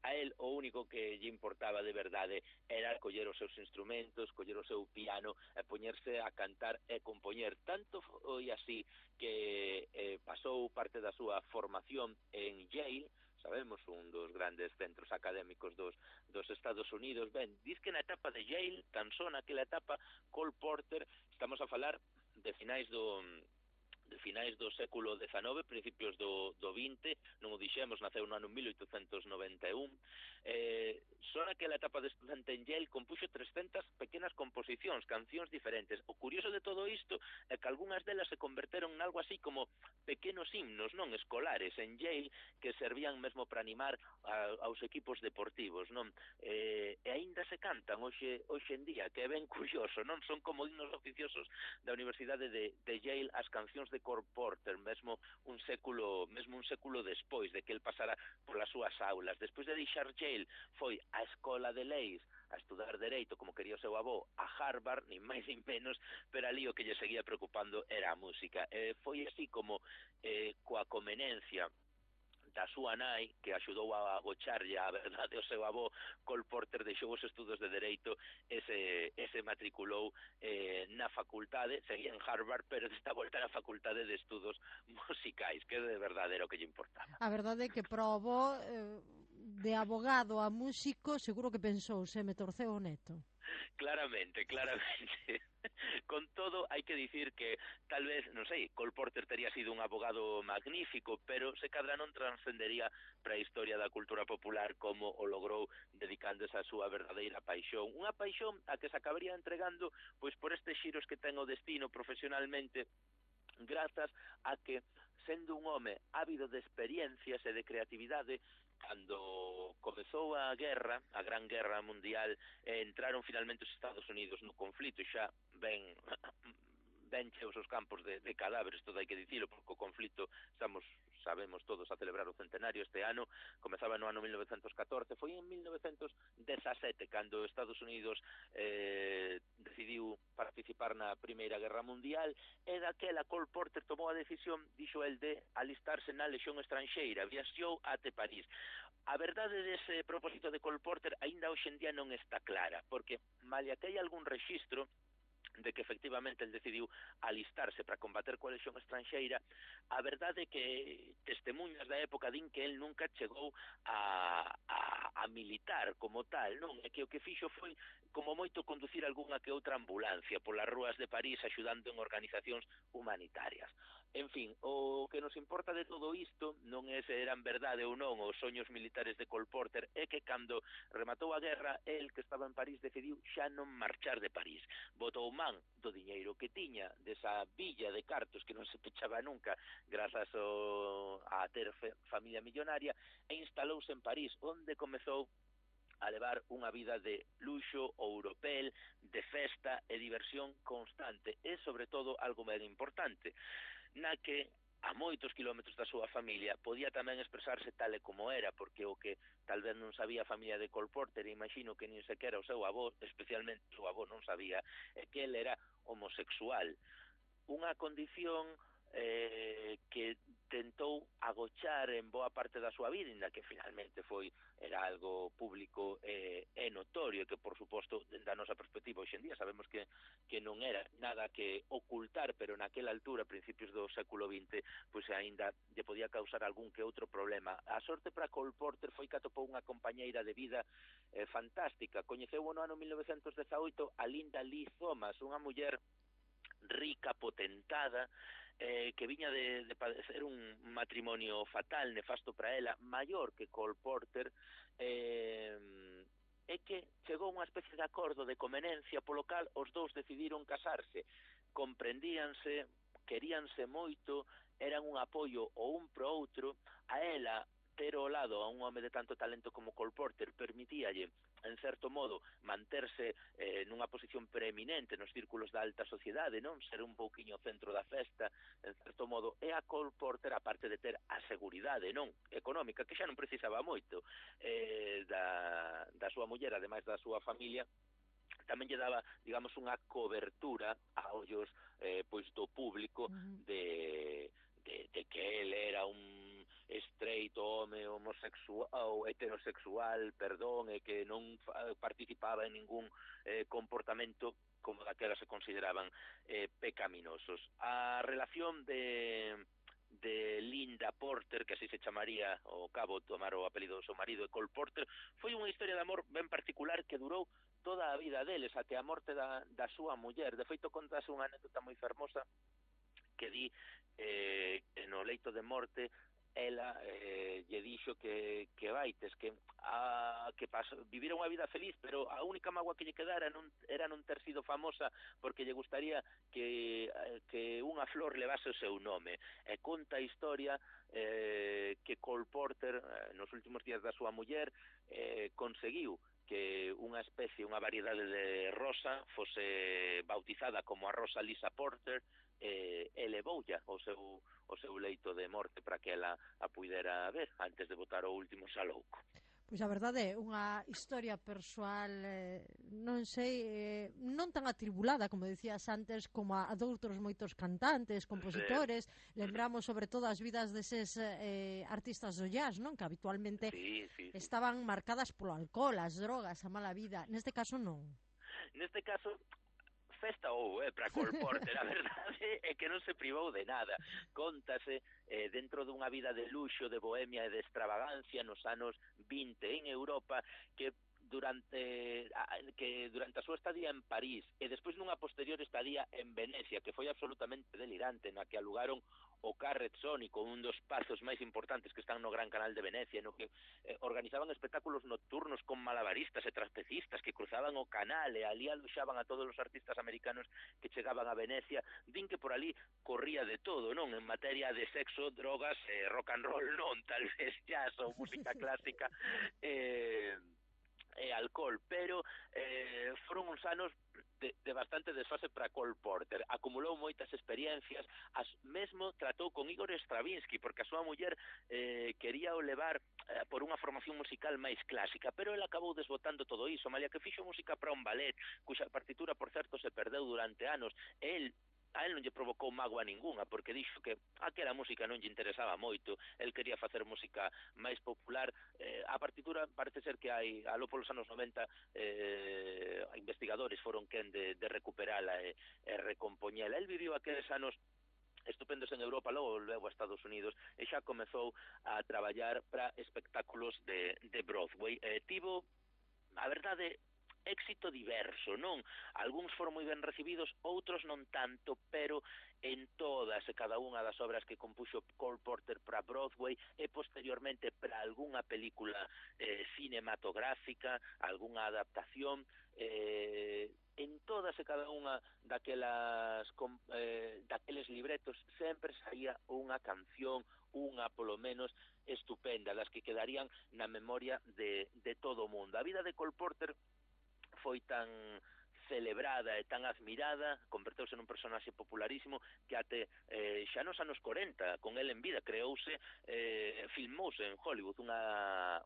a él o único que lle importaba de verdade era coller os seus instrumentos, coller o seu piano e poñerse a cantar e compoñer. Tanto foi así que pasou parte da súa formación en Yale, sabemos, un dos grandes centros académicos dos Estados Unidos. Ben, diz que na etapa de Yale, tan só naquela etapa, Cole Porter, estamos a falar de finais do século XIX, principios do XX, non o dixemos, naceu no ano 1891, Só naquela etapa de estudante en Yale compuxo 300 pequenas composicións, cancións diferentes. O curioso de todo isto é que algunhas delas se converteron en algo así como pequenos himnos, non, escolares en Yale, que servían mesmo para animar aos equipos deportivos, non? E aínda se cantan hoxe en día, que é ben curioso, non? Son como himnos oficiosos da Universidade de Yale as cancións de Cole Porter, mesmo un século despois de que el pasara polas súas aulas. Despois de deixar Yale, foi a Escola de Leis a estudar Dereito, como quería o seu avó, a Harvard, nin máis nin menos, pero ali o que lle seguía preocupando era a música. Foi así como coa comenencia da súa nai, que axudou a agocharlle a verdade ao seu avó, Cole Porter deixou os estudos de Dereito e se matriculou na facultade, seguía en Harvard, pero desta volta na facultade de estudos musicais, que de verdade era o que lle importaba. A verdade é que probou de abogado a músico, seguro que pensou, se me torceu o neto. Claramente. Con todo, hai que dicir que tal vez, non sei, Cole Porter tería sido un abogado magnífico, pero se cadra non transcendería para a historia da cultura popular como o logrou dedicándose a súa verdadeira paixón. Unha paixón a que se acabaría entregando pois por estes xiros que ten o destino profesionalmente, grazas a que, sendo un home ávido de experiencias e de creatividade, cando comezou a Gran Guerra Mundial, entraron finalmente os Estados Unidos no conflito, xa ben cheos os campos de cadáveres, todo hai que dicilo, porque o conflito sabemos todos a celebrar o centenario este ano, comezaba no ano 1914, foi en 1917 cando Estados Unidos decidiu participar na Primeira Guerra Mundial, e daquela Cole Porter tomou a decisión, dixo el, de alistarse na Lexión Estranxeira, viaxou até París. A verdade dese propósito de Cole Porter aínda hoxe en día non está clara, porque malia que hai algún rexistro de que efectivamente el decidiu alistarse para combater coa Lexión Estranxeira, a verdade é que testemunhas da época din que el nunca chegou a militar como tal, non? É que o que fixo foi como moito conducir algunha que outra ambulancia polas rúas de París axudando en organizacións humanitarias. En fin, o que nos importa de todo isto non é se eran verdade ou non os soños militares de Cole Porter, é que cando rematou a guerra, el que estaba en París decidiu xa non marchar de París. Botou man do diñeiro que tiña, desa villa de cartos que non se pechaba nunca grazas a ter familia millonaria, e instalouse en París, onde comezou a levar unha vida de luxo, europel, de festa e diversión constante, e sobre todo algo ben importante, na que a moitos kilómetros da súa familia podía tamén expresarse tal e como era, porque o que tal vez non sabía a familia de Cole Porter, e imagino que nin sequera o seu avó, especialmente o seu avó non sabía, é que ele era homosexual, unha condición que tentou agochar en boa parte da súa vida, inda que finalmente era algo público e notorio, que por suposto, da nosa perspectiva hoxe en día sabemos que non era nada que ocultar, pero naquela altura, a principios do século XX, pois aínda lle podía causar algún que outro problema. A sorte para Cole Porter foi que atopou unha compañeira de vida fantástica. Coñeceu no ano 1918 a Linda Lee Thomas, unha muller rica, potentada, que viña de padecer un matrimonio fatal, nefasto para ela, maior que Cole Porter, é que chegou unha especie de acordo de conveniencia polo cal os dous decidiron casarse, comprendíanse, queríanse moito, eran un apoio o un pro outro. A ela ter ao lado a un home de tanto talento como Cole Porter permitíalle, en certo modo, manterse nunha posición preeminente nos círculos da alta sociedade, non? Ser un pouquiño centro da festa, en certo modo, e a Cole Porter, aparte de ter a seguridade, non? Económica, que xa non precisaba moito da súa muller, ademais da súa familia, tamén lle daba, digamos, unha cobertura a ollos pois do público de que él era un estreito home homosexual ou heterosexual, e que non participaba en ningún comportamento como daquela se consideraban pecaminosos. A relación de Linda Porter, que así se chamaría ao cabo tomar o apelido do seu marido, de Cole Porter, foi unha historia de amor ben particular que durou toda a vida deles, até a morte da súa muller. De feito, contase unha anécdota moi fermosa que di no leito de morte ela lle dixo que vaites, que vivira unha vida feliz, pero a única mágoa que lle quedara era non ter sido famosa, porque lle gustaría que unha flor levase o seu nome. E conta a historia que Cole Porter, nos últimos días da súa muller, conseguiu que unha especie, unha variedade de rosa fose bautizada como a Rosa Lisa Porter, elevoulla o seu leito de morte para que ela a puidera ver antes de botar o último salouco. Pois a verdade é unha historia persoal, non sei, non tan atribulada, como dicías antes, como a doutros moitos cantantes, compositores. Sí. Lembramos sobre todo as vidas deses artistas do jazz, non? Que habitualmente estaban marcadas polo alcohol, as drogas, a mala vida. Neste caso non. Neste caso festa para Cole Porter, a verdade é que non se privou de nada. Contase dentro dunha vida de luxo, de bohemia e de extravagancia nos anos 20 en Europa, que durante a súa estadía en París e despois nunha posterior estadía en Venecia, que foi absolutamente delirante, na que alugaron o Carret Sónico, un dos pazos máis importantes que están no Gran Canal de Venecia, no que organizaban espectáculos nocturnos con malabaristas e trapecistas que cruzaban o canal e ali aloxaban a todos os artistas americanos que chegaban a Venecia. Din que por ali corría de todo, non? En materia de sexo, drogas, rock and roll non, tal vez jazz ou música clásica e alcohol, pero foron uns anos de bastante desfase para Cole Porter. Acumulou moitas experiencias, mesmo tratou con Igor Stravinsky, porque a súa muller quería o levar por unha formación musical máis clásica, pero ele acabou desbotando todo iso, malia que fixo música para un ballet, cuxa partitura, por certo, se perdeu durante anos. A él non lle provocou mágoa ninguna, porque dixo que aquela música non lle interesaba moito, el quería facer música máis popular. A partitura parece ser que hai, aló polos anos 90, investigadores foron quen de recuperala e recompoñela. El viviu aqueles anos estupendos en Europa, logo a Estados Unidos, e xa comezou a traballar para espectáculos de Broadway. Tivo, a verdade, éxito diverso, non? Algúns foron moi ben recibidos, outros non tanto, pero en todas e cada unha das obras que compuxo Cole Porter para Broadway e posteriormente para algunha película cinematográfica, algunha adaptación, en todas e cada unha daqueles libretos sempre saía unha canción, unha polo menos estupenda, das que quedarían na memoria de todo o mundo. A vida de Cole Porter foi tan celebrada e tan admirada, converteuse nun personaxe popularísimo que até xa nos anos 40, con el en vida, filmouse en Hollywood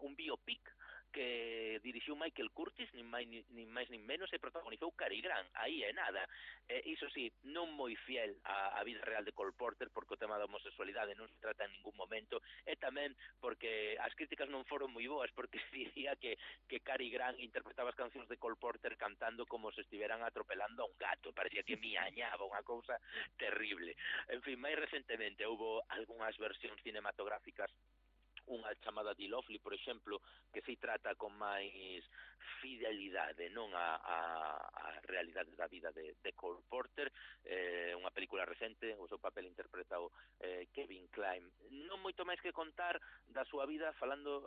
un biopic que dirixiu Michael Curtis, nin máis nin menos, e protagonizou Cary Grant, aí é nada. Iso sí, non moi fiel á vida real de Cole Porter, porque o tema da homosexualidade non se trata en ningún momento, e tamén porque as críticas non foron moi boas, porque se dicía que Cary Grant interpretaba as cancións de Cole Porter cantando como se estiveran atropelando a un gato, parecía que miañaba, unha cousa terrible. En fin, máis recentemente houbo algunhas versións cinematográficas, unha chamada The Lovely, por exemplo, que se trata con máis fidelidade, non a realidade da vida de Cole Porter, unha película recente, o seu papel interpretado Kevin Kline. Non moito máis que contar da súa vida, falando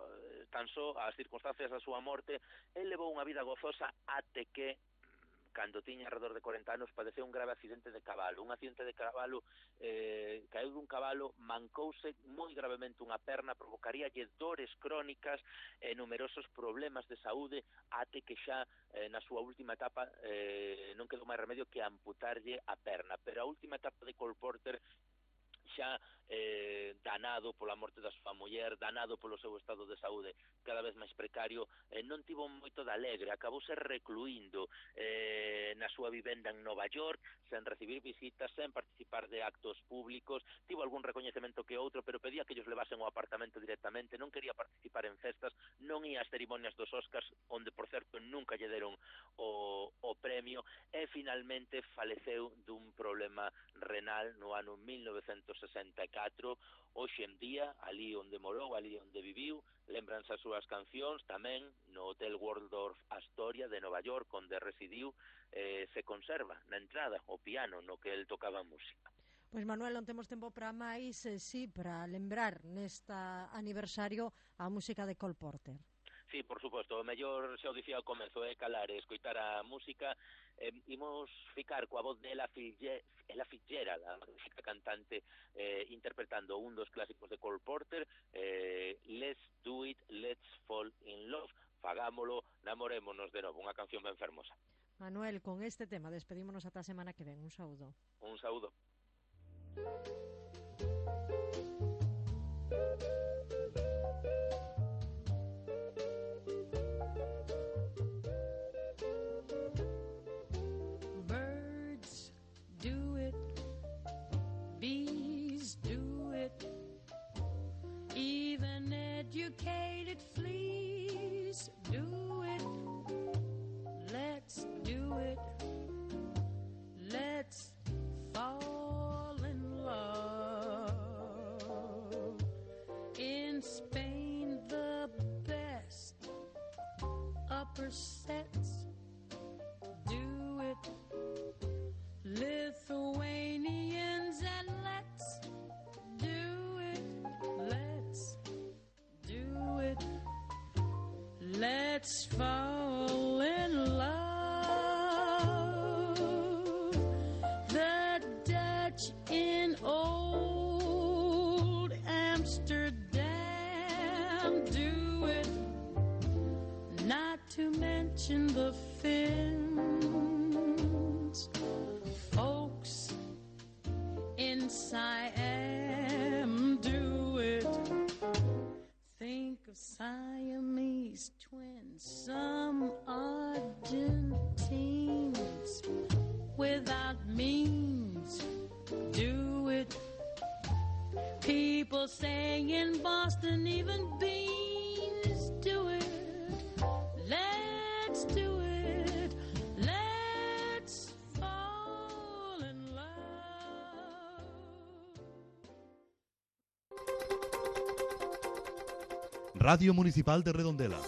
tan só as circunstancias da súa morte. El levou unha vida gozosa até que, cando tiña alrededor de 40 anos, padeceu un grave accidente de cabalo. Un accidente de cabalo, caeu dun cabalo, mancouse moi gravemente unha perna, provocaríalle dores crónicas e numerosos problemas de saúde, até que xa na súa última etapa non quedou máis remedio que amputarlle a perna. Pero a última etapa de Cole Porter, xa danado pola morte da súa muller, danado polo seu estado de saúde cada vez máis precario, non tivo moito de alegre, acabouse recluindo na súa vivenda en Nova York, sen recibir visitas, sen participar de actos públicos. Tivo algún recoñecemento que outro, pero pedía que ellos levasen o apartamento directamente, non quería participar en festas, non ía ás cerimonias dos Oscars, onde, por certo, nunca lle deron o premio, e finalmente faleceu dun problema renal no ano 1964. Hoxe en día, ali onde morou, ali onde viviu, lembranse as súas cancións, tamén no Hotel Waldorf Astoria de Nova York, onde residiu, se conserva na entrada o piano no que el tocaba música. Pois Manuel, non temos tempo para máis, sí, para lembrar nesta aniversario a música de Cole Porter. Sí, por suposto, o mellor xa o dicía ao comezo é calar e escoitar a música. Imos ficar coa voz de Ella Fitzgerald, a magnífica cantante, interpretando un dos clásicos de Cole Porter, Let's Do It, Let's Fall in Love. Fagámolo, namorémonos de novo, unha canción ben fermosa. Manuel, con este tema despedímonos ata a semana que ven. Un saúdo. Un saúdo. Birds do it, bees do it, even educated fleas do it. Let's do it, let's fall in love. In Spain, the best upper sets do it. Lithuanians, and let's do it, let's do it, let's fall in love. The Dutch in old Amsterdam do it, not to mention the Finns. Folks in Siam do it. Think of Siamese twins, some Argentines without means do it. People saying in Boston even beans do it. Let's do it. Let's fall in love. Radio Municipal de Redondela.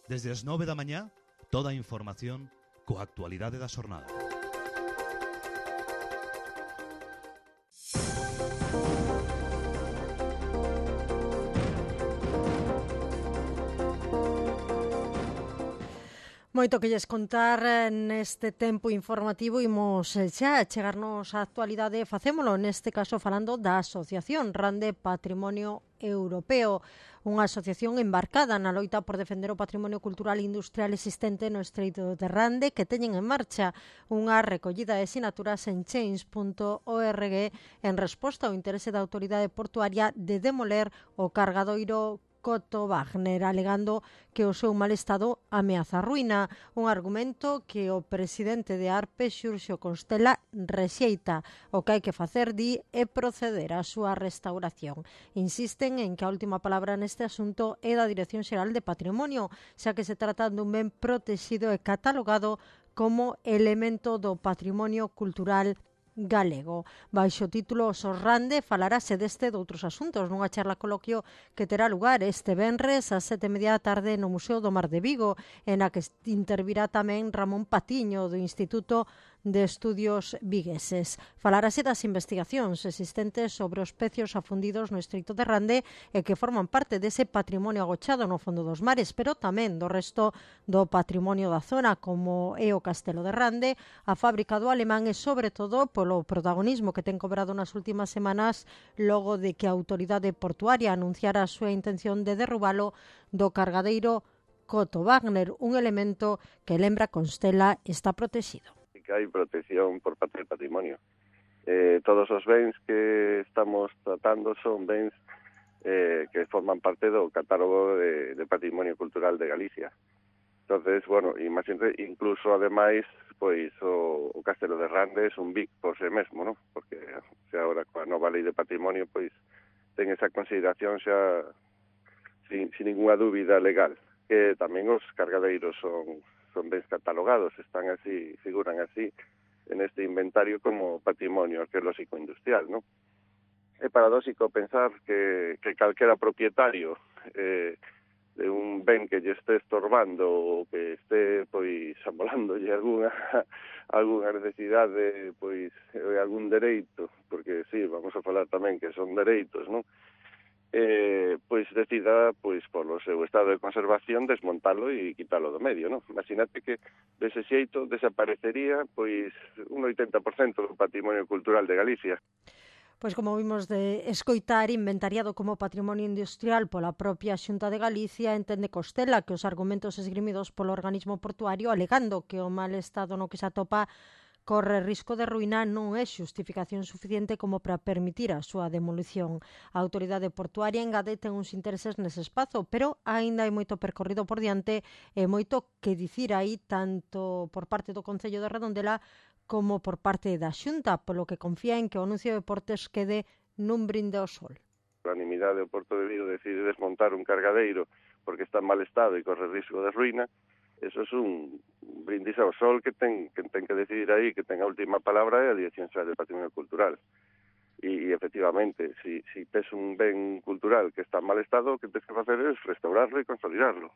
Desde as 9 da mañá, toda a información coa actualidade da xornada. Moito que lles contar neste tempo informativo. Imos xa chegarnos á actualidade. Facémolo neste caso falando da Asociación Rande Patrimonio Europeo, unha asociación embarcada na loita por defender o patrimonio cultural e industrial existente no Estreito de Rande, que teñen en marcha unha recollida de sinaturas en change.org en resposta ao interese da autoridade portuaria de demoler o cargadoiro Coto Wagner, alegando que o seu mal estado ameaza a ruína, un argumento que o presidente de ARPE, Xurxo Constela, rexeita. O que hai que facer, di, é proceder á súa restauración. Insisten en que a última palabra neste asunto é da Dirección Xeral de Patrimonio, xa que se trata dun ben protexido e catalogado como elemento do patrimonio cultural galego. Baixo o título Sorrande falarase deste e doutros asuntos nunha charla coloquio que terá lugar este venres ás 7:30 da tarde no Museo do Mar de Vigo, en a que intervirá tamén Ramón Patiño do Instituto de Estudios Vigueses. Falarase das investigacións existentes sobre os pecios afundidos no Estreito de Rande e que forman parte dese patrimonio agochado no fondo dos mares, pero tamén do resto do patrimonio da zona, como é o Castelo de Rande, a fábrica do Alemán e, sobre todo, polo protagonismo que ten cobrado nas últimas semanas logo de que a autoridade portuaria anunciara a súa intención de derrubalo do cargadeiro Coto Wagner, un elemento que, lembra Constela, está protegido. Hai protección por parte del patrimonio. Todos os bens que estamos tratando son bens que forman parte do catálogo de patrimonio cultural de Galicia. Entonces, bueno, incluso ademais, pois o Castelo de Rande é un BIC por sí mesmo, ¿no? Porque se agora coa nova lei de patrimonio, pois ten esa consideración xa sin ninguna dúbida legal. Que tamén os cargadeiros son bens catalogados, están así, figuran así en este inventario como patrimonio arqueolóxico industrial, ¿no? É paradóxico pensar que calquera propietario un ben que lle este estorbando ou que este pois amolándolle algunha necesidade, pois algún dereito, porque sí, vamos a falar tamén que son dereitos, non? Pois decida, pois polo seu estado de conservación, desmontalo e quitalo do medio, non? Imagínate que dese xeito desaparecería pois un 80% do patrimonio cultural de Galicia. Pois como vimos de escoitar, inventariado como patrimonio industrial pola propia Xunta de Galicia, entende Costela que os argumentos esgrimidos polo organismo portuario alegando que o mal estado no que se atopa corre risco de ruína non é xustificación suficiente como para permitir a súa demolición. A autoridade portuaria engade ten uns intereses nese espazo, pero aínda hai moito percorrido por diante e moito que dicir aí tanto por parte do Concello de Redondela como por parte da Xunta, polo que confía en que o anuncio de deportes quede nun brinde ao sol. A unanimidade do Porto de Vigo decide desmontar un cargadeiro porque está en mal estado e corre risco de ruína, eso é un brindis ao sol que ten que decidir aí, que ten a última palabra é a Dirección Xeral de Patrimonio Cultural. E efectivamente, si tes un ben cultural que está en mal estado, o que tens que facer é restaurarlo e consolidarlo.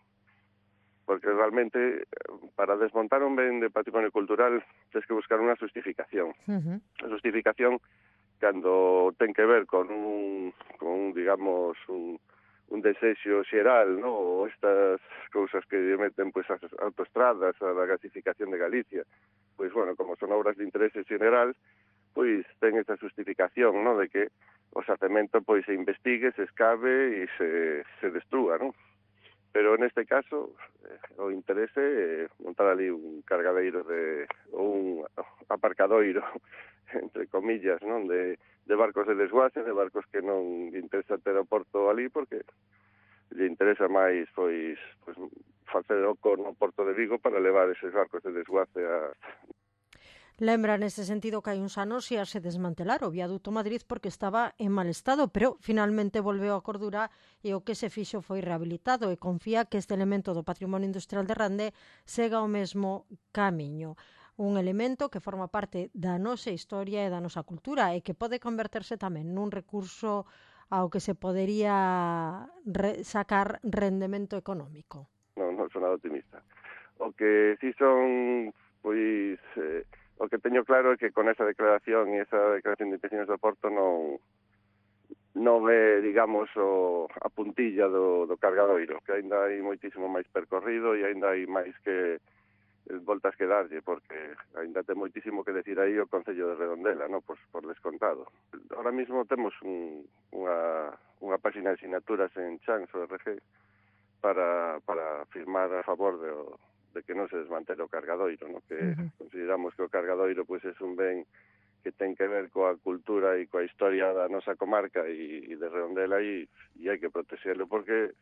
Porque realmente para desmontar un ben de patrimonio cultural tens que buscar unha justificación. A justificación cando ten que ver con digamos, un desexo xeral, ¿no? Ou estas cousas que meten pois as autoestradas, a da gasificación de Galicia, pois bueno, como son obras de interese xeral, pois ten esta justificación, ¿no? De que o xacemento pois se investigue, se escave e se destrúa, ¿no? Pero neste caso o interese é montar ali un cargadeiro ou un aparcadoiro, entre comillas, non, de barcos de desguace, de barcos que non lle interesa ter o porto ali porque lle interesa máis pois facer o no Porto de Vigo para levar eses barcos de desguace a... Lembra nese sentido que hai uns anos xa se desmantelar o viaduto Madrid porque estaba en mal estado, pero finalmente volveu a cordura e o que se fixo foi rehabilitado e confía que este elemento do patrimonio industrial de Rande sega o mesmo camiño. Un elemento que forma parte da nosa historia e da nosa cultura e que pode converterse tamén nun recurso ao que se podería sacar rendemento económico. Non son nada optimista. O que si son, pois... O que teño claro é que con esa declaración e esa declaración de intencións do Porto non é, digamos, a puntilla do cargadoiro, que aínda hai moitísimo máis percorrido e aínda hai máis que voltas que darlle, porque aínda ten moitísimo que decir aí o Concello de Redondela, no? Por descontado. Ahora mismo temos unha página de sinaturas en Chans.org para firmar a favor de que non se desmantele o cargadoiro, no? Que consideramos que o cargadoiro pois é un ben que ten que ver coa cultura e coa historia da nosa comarca e de Redondela e hai que protexerlo porque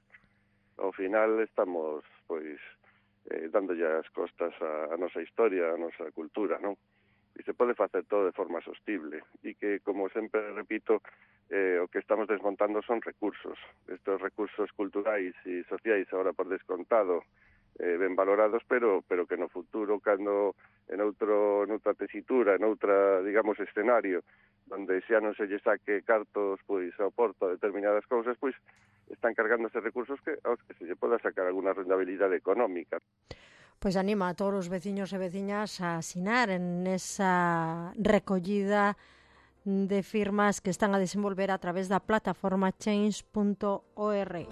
ao final estamos pois dándolle as costas a nosa historia, a nosa cultura, non? E se pode facer todo de forma sostible e que, como sempre repito, o que estamos desmontando son recursos. Estos recursos culturais e sociais agora por descontado ben valorados, pero que no futuro, cando en noutra tesitura, en outra, digamos, escenario, onde xa non se lle saque cartos pois ao Porto a determinadas cousas, pois están cargándose recursos aos que se lle poda sacar alguna rentabilidade económica. Pois anima a todos os veciños e veciñas a asinar en esa recollida de firmas que están a desenvolver a través da plataforma change.org.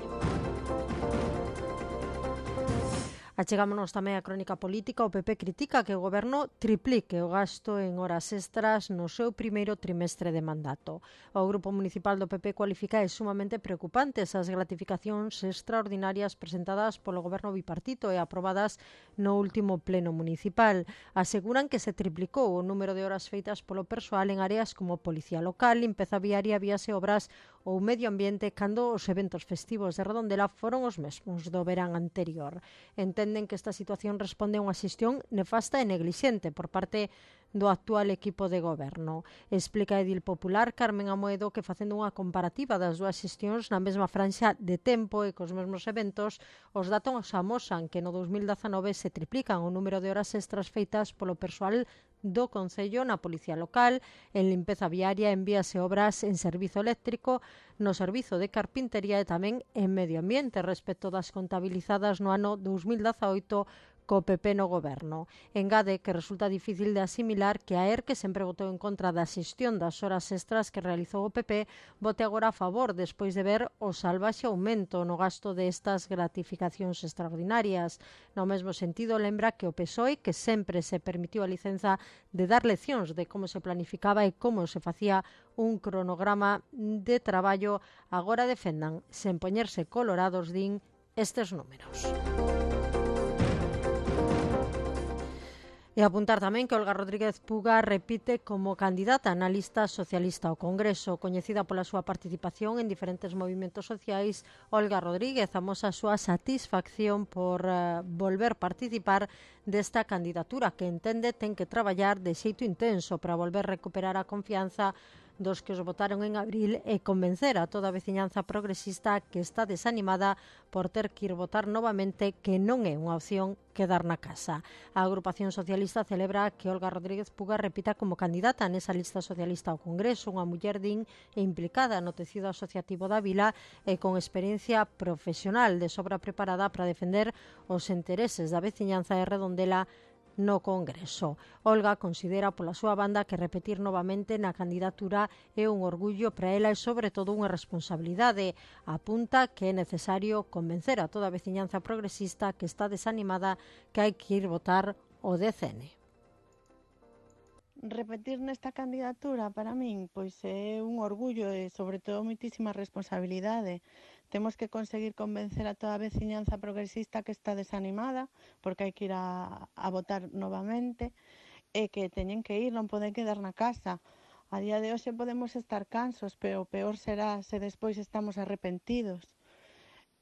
Achegámonos tamén a crónica política. O PP critica que o Goberno triplique o gasto en horas extras no seu primeiro trimestre de mandato. O Grupo Municipal do PP cualifica sumamente preocupantes as gratificacións extraordinarias presentadas polo Goberno bipartito e aprobadas no último pleno municipal. Aseguran que se triplicou o número de horas feitas polo persoal en áreas como Policía Local, limpeza viaria, vías e obras ou medio ambiente cando os eventos festivos de Redondela foron os mesmos do verán anterior. Entenden que esta situación responde a unha xestión nefasta e neglixente por parte do actual equipo de goberno. Explica a edil popular Carmen Amoedo que facendo unha comparativa das dúas xestións na mesma franxa de tempo e cos mesmos eventos, os datos amosan que no 2019 se triplican o número de horas extras feitas polo persoal do Concello na Policía Local, en limpeza viaria envíase obras en servizo eléctrico, no servizo de carpintería e tamén en medio ambiente respecto das contabilizadas no ano 2018 co PP no goberno. Engade que resulta difícil de asimilar que a ERC, que sempre votou en contra da xestión das horas extras que realizou o PP, vote agora a favor despois de ver o salvaxe aumento no gasto destas gratificacións extraordinarias. No mesmo sentido, lembra que o PSOE, que sempre se permitiu a licenza de dar leccións de como se planificaba e como se facía un cronograma de traballo, agora defendan, sen poñerse colorados, din, estes números. E apuntar tamén que Olga Rodríguez Puga repite como candidata na lista socialista ao Congreso. Coñecida pola súa participación en diferentes movimentos sociais, Olga Rodríguez amosa a súa satisfacción por volver participar desta candidatura que entende ten que traballar de xeito intenso para volver recuperar a confianza dos que os votaron en abril e convencer a toda a veciñanza progresista que está desanimada por ter que ir votar novamente, que non é unha opción quedar na casa. A agrupación socialista celebra que Olga Rodríguez Puga repita como candidata nesa lista socialista ao Congreso, unha muller din e implicada no tecido asociativo da vila e con experiencia profesional de sobra preparada para defender os intereses da veciñanza de Redondela no Congreso. Olga considera pola súa banda que repetir novamente na candidatura é un orgullo para ela e sobre todo unha responsabilidade. Apunta que é necesario convencer a toda a veciñanza progresista que está desanimada que hai que ir votar o DCN. Repetir nesta candidatura para min pois é un orgullo e sobre todo moitísima responsabilidade. Temos que conseguir convencer a toda a veciñanza progresista que está desanimada, porque hai que ir a votar novamente, e que teñen que ir, non poden quedar na casa. A día de hoxe podemos estar cansos, pero o peor será se despois estamos arrepentidos.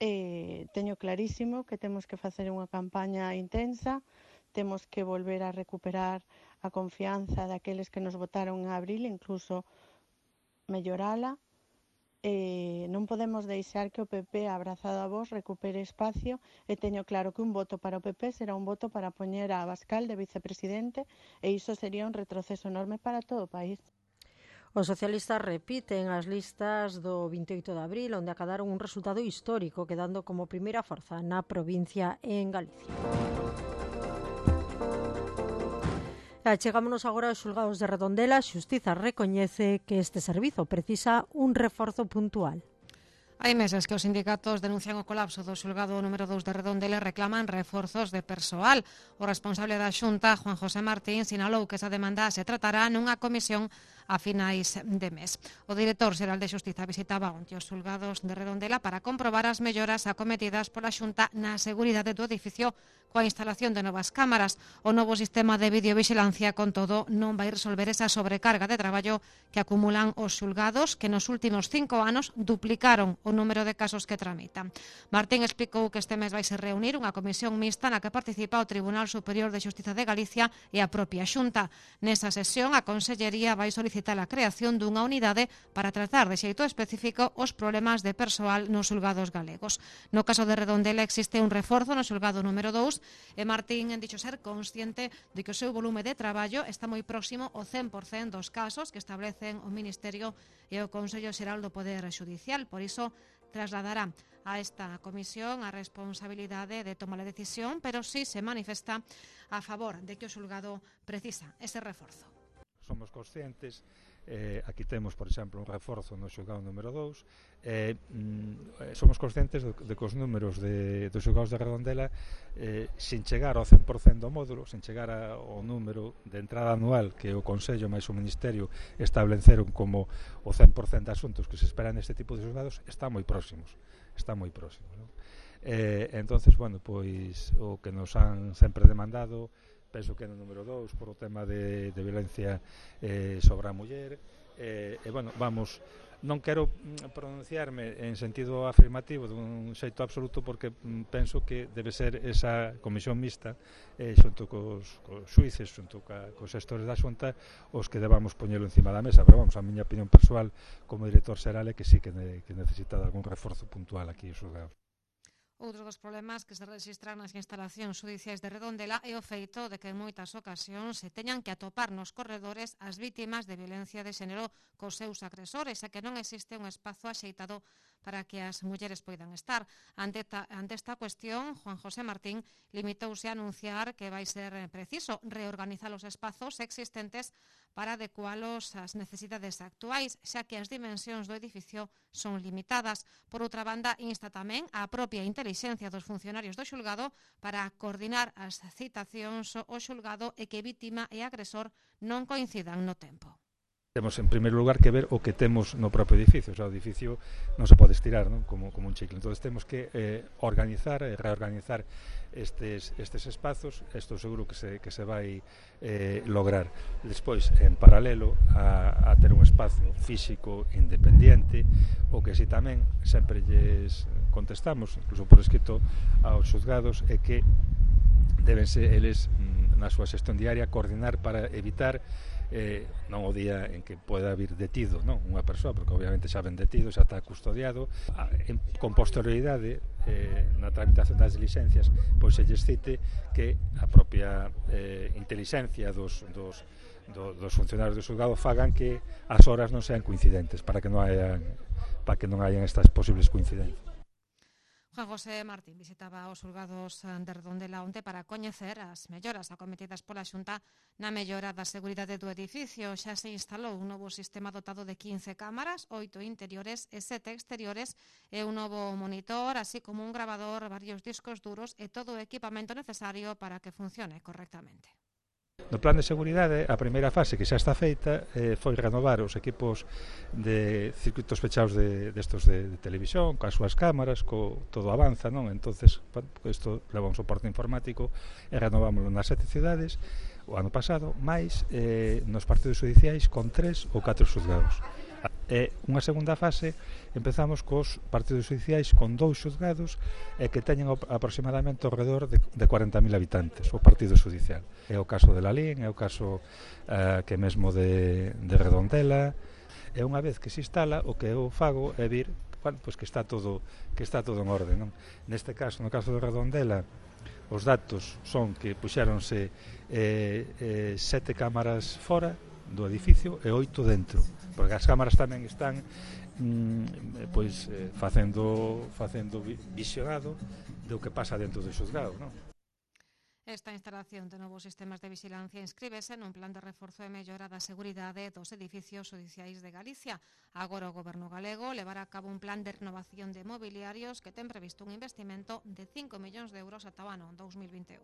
Teño clarísimo que temos que facer unha campaña intensa, temos que volver a recuperar a confianza daqueles que nos votaron en abril, incluso mellorala. Non podemos deixar que o PP, abrazado a vos, recupere espacio e teño claro que un voto para o PP será un voto para poñer a Abascal de vicepresidente e iso sería un retroceso enorme para todo o país. Os socialistas repiten as listas do 28 de abril, onde acadaron un resultado histórico, quedando como primeira forza na provincia en Galicia. Chegámonos agora aos xulgados de Redondela. A Xustiza recoñece que este servizo precisa un reforzo puntual. Hai meses que os sindicatos denuncian o colapso do xulgado número 2 de Redondela e reclaman reforzos de persoal. O responsable da Xunta, Juan José Martín, sinalou que esa demanda se tratará nunha comisión a finais de mes. O director xeral de Xustiza visitaba onte os xulgados de Redondela para comprobar as melloras acometidas pola Xunta na seguridade do edificio coa instalación de novas cámaras. O novo sistema de videovigilancia, con todo, non vai resolver esa sobrecarga de traballo que acumulan os xulgados, que nos últimos 5 anos duplicaron o número de casos que tramitan. Martín explicou que este mes vai se reunir unha comisión mixta na que participa o Tribunal Superior de Xustiza de Galicia e a propia Xunta. Nesa sesión, a Consellería vai solicitar a creación dunha unidade para tratar de xeito específico os problemas de persoal nos xulgados galegos. No caso de Redondela existe un reforzo no xulgado número 2 e Martín dixo ser consciente de que o seu volume de traballo está moi próximo ao 100% dos casos que establecen o Ministerio e o Consello Xeral do Poder Xudicial. Por iso trasladará a esta comisión a responsabilidade de tomar a decisión, pero sí se manifesta a favor de que o xulgado precisa ese reforzo. Somos conscientes, aquí temos, por exemplo, un reforzo no xulgado número 2, somos conscientes de que os números dos xulgados de Redondela, sin chegar ao 100% do módulo, sin chegar ao número de entrada anual que o Consello máis o Ministerio estableceron como o 100% de asuntos que se esperan neste tipo de xulgados, está moi próximos, non? Entonces, bueno, pois o que nos han sempre demandado, penso que no número 2 por o tema de violencia sobre a muller, bueno, vamos, non quero pronunciarme en sentido afirmativo dun xeito absoluto porque penso que debe ser esa comisión mixta xunto cos xuíces, xunto cos xestores da Xunta os que debamos poñelo encima da mesa, pero vamos, a miña opinión persoal como director xeral é que sí que necesita algún reforzo puntual aquí os xulgados. Outro dos problemas que se rexistran nas instalacións judiciais de Redondela é o feito de que en moitas ocasións se teñan que atopar nos corredores as vítimas de violencia de xénero cos seus agresores e que non existe un espazo axeitado para que as mulleres poidan estar. Ante esta cuestión, Juan José Martín limitouse a anunciar que vai ser preciso reorganizar os espazos existentes para adecualos ás necesidades actuais, xa que as dimensións do edificio son limitadas. Por outra banda, insta tamén a propia intelixencia dos funcionarios do xulgado para coordinar as citacións ao xulgado e que vítima e agresor non coincidan no tempo. Temos, en primeiro lugar, que ver o que temos no propio edificio. O sea, o edificio non se pode estirar, non? Como un chicle. Entón, temos que organizar e reorganizar estes espazos. Estou seguro que se vai lograr. Despois, en paralelo a ter un espazo físico independiente, o que si tamén sempre lles contestamos, incluso por escrito aos xuzgados, é que debense eles, na súa xestión diaria, coordinar para evitar non o día en que poida vir detido, non, unha persoa, porque obviamente xa ven detido, xa está custodiado, con posterioridade na tramitación das diligencias, pois se lles cite que a propia intelixencia dos funcionarios do xulgado fagan que as horas non sean coincidentes para que non hayan estas posibles coincidencias. Juan José Martín visitaba os xulgados de Redondela onte para coñecer as melloras acometidas pola Xunta na mellora da seguridade do edificio. Xa se instalou un novo sistema dotado de 15 cámaras, 8 interiores e 7 exteriores e un novo monitor, así como un grabador, varios discos duros e todo o equipamento necesario para que funcione correctamente. No plan de seguridade, a primeira fase que xa está feita foi renovar os equipos de circuitos fechados destos de televisión, coas súas cámaras, todo avanza, non? Entonces, isto leva un soporte informático e renovámoslo nas 7 cidades o ano pasado, máis nos partidos judiciais con 3 ou 4 xuzgados. E unha segunda fase empezamos cos partidos judiciais con 2 xuzgados e que teñen aproximadamente ao redor de 40.000 habitantes o partido judicial. É o caso de Lalín, é o caso que mesmo de Redondela. E unha vez que se instala, o que eu fago é vir, pois que está todo en orde, non? Neste caso, no caso de Redondela, os datos son que puxéronse 7 cámaras fora do edificio e 8 dentro, porque as cámaras tamén están facendo visionado do que pasa dentro do xuzgado, non? Esta instalación de novos sistemas de vigilancia inscríbese nun plan de reforzo e mellora da seguridade dos edificios judiciais de Galicia. Agora o Goberno galego levará a cabo un plan de renovación de mobiliarios que ten previsto un investimento de 5 millóns de euros ata o ano 2021.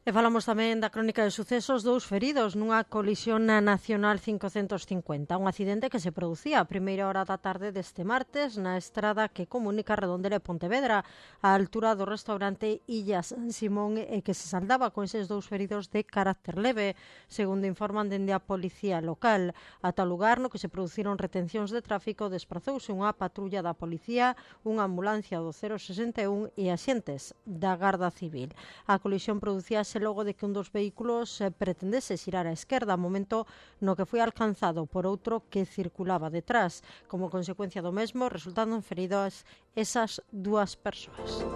E falamos tamén da crónica de sucesos, 2 feridos nunha colisión na Nacional 550, un accidente que se producía a primeira hora da tarde deste martes na estrada que comunica Redondela e Pontevedra, á altura do restaurante Illa San Simón, e que se saldaba con eses 2 feridos de carácter leve, segundo informan dende a policía local. Ata o lugar no que se produciron retencións de tráfico desprazouse unha patrulla da policía, unha ambulancia do 061 e axentes da Garda Civil. A colisión producíase logo de que un dos vehículos pretendese xirar á esquerda, momento no que foi alcanzado por outro que circulaba detrás. Como consecuencia do mesmo, resultaron feridas esas 2 persoas.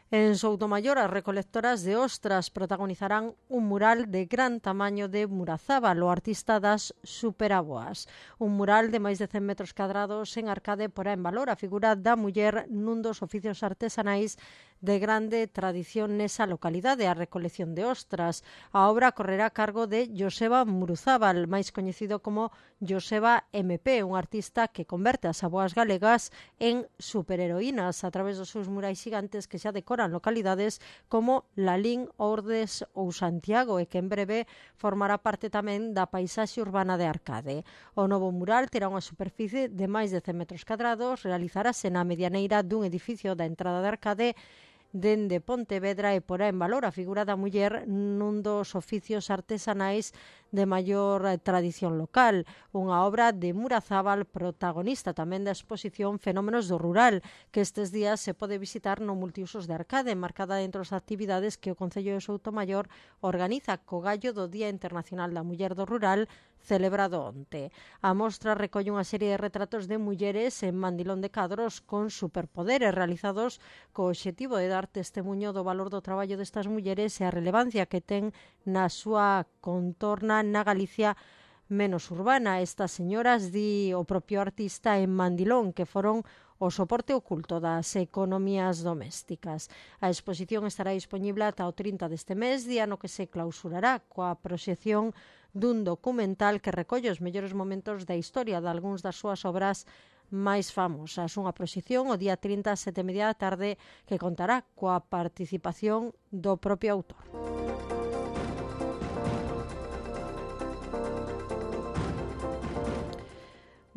En Soutomaior, as recolectoras de ostras protagonizarán un mural de gran tamaño de Murazábal, o artista das superaboas. Un mural de máis de 100 metros cadrados en Arcade porá en valor a figura da muller nun dos oficios artesanais de grande tradición nesa localidade, a recolección de ostras. A obra correrá a cargo de Joseba Muruzábal, máis coñecido como Joseba MP, un artista que converte as aboas galegas en superheroínas a través dos seus murais gigantes que xa decoran localidades como Lalín, Ordes ou Santiago, e que en breve formará parte tamén da paisaxe urbana de Arcade. O novo mural terá unha superficie de máis de 100 metros cadrados, realizarase na medianeira dun edificio da entrada de Arcade dende Pontevedra e porá en valor a figura da muller nun dos oficios artesanais de maior tradición local, unha obra de Murazábal protagonista tamén da exposición Fenómenos do Rural, que estes días se pode visitar no Multiusos de Arcade, marcada entre as actividades que o Concello de Soutomaior organiza co gallo do Día Internacional da Muller do Rural, celebrado onte. A mostra recolle unha serie de retratos de mulleres en Mandilón de Cadros con superpoderes realizados co obxectivo de dar testemuño do valor do traballo destas mulleres e a relevancia que ten na súa contorna na Galicia menos urbana. Estas señoras, di o propio artista en Mandilón, que foron o soporte oculto das economías domésticas. A exposición estará disponible ata o 30 deste mes, día no que se clausurará coa proxección dun documental que recolle os mellores momentos da historia de algúns das súas obras máis famosas. Unha proxección o día 30 ás 7:30 da tarde que contará coa participación do propio autor.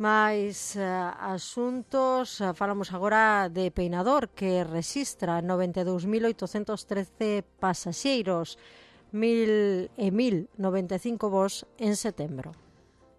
Mais asuntos, falamos agora de Peinador, que rexistra 92.813 pasaxeiros, 1.095 voos en setembro.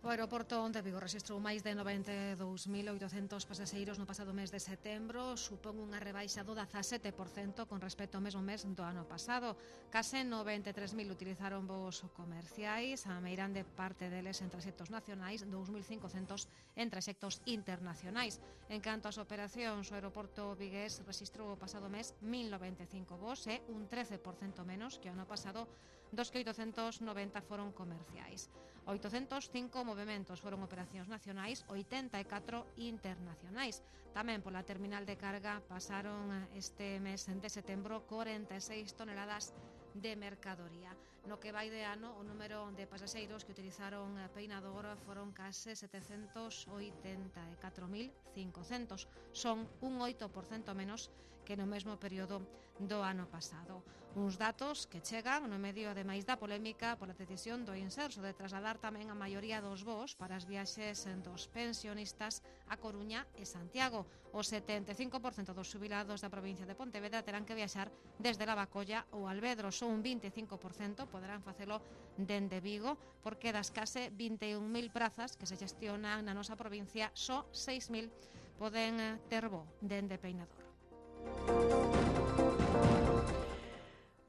O aeroporto de Vigo rexistrou máis de 92.800 pasaxeiros no pasado mes de setembro, supón unha rebaixa do 17% con respecto ao mesmo mes do ano pasado. Case 93.000 utilizaron voos comerciais, a meirande parte deles en traxectos nacionais, 2.500 en traxectos internacionais. En canto ás operacións, o aeroporto vigués rexistrou o pasado mes 1.095 voos, un 13% menos que o ano pasado, dos que 890 foron comerciais. 805 movementos foron operacións nacionais, 84 internacionais. Tamén pola terminal de carga pasaron este mes de setembro 46 toneladas de mercadoría. No que vai de ano, o número de pasaxeiros que utilizaron Peinador foron case 784.500. Son un 8% menos que no mesmo período do ano pasado. Uns datos que chegan no medio ademais da polémica pola decisión do Inserso de trasladar tamén a maioría dos voos para as viaxes dos pensionistas a Coruña e Santiago. O 75% dos xubilados da provincia de Pontevedra terán que viaxar desde Lavacolla ou Alvedro. Só un 25% poderán facelo dende Vigo, porque das case 21.000 prazas que se gestionan na nosa provincia, só 6.000 poden ter voo dende Peinador.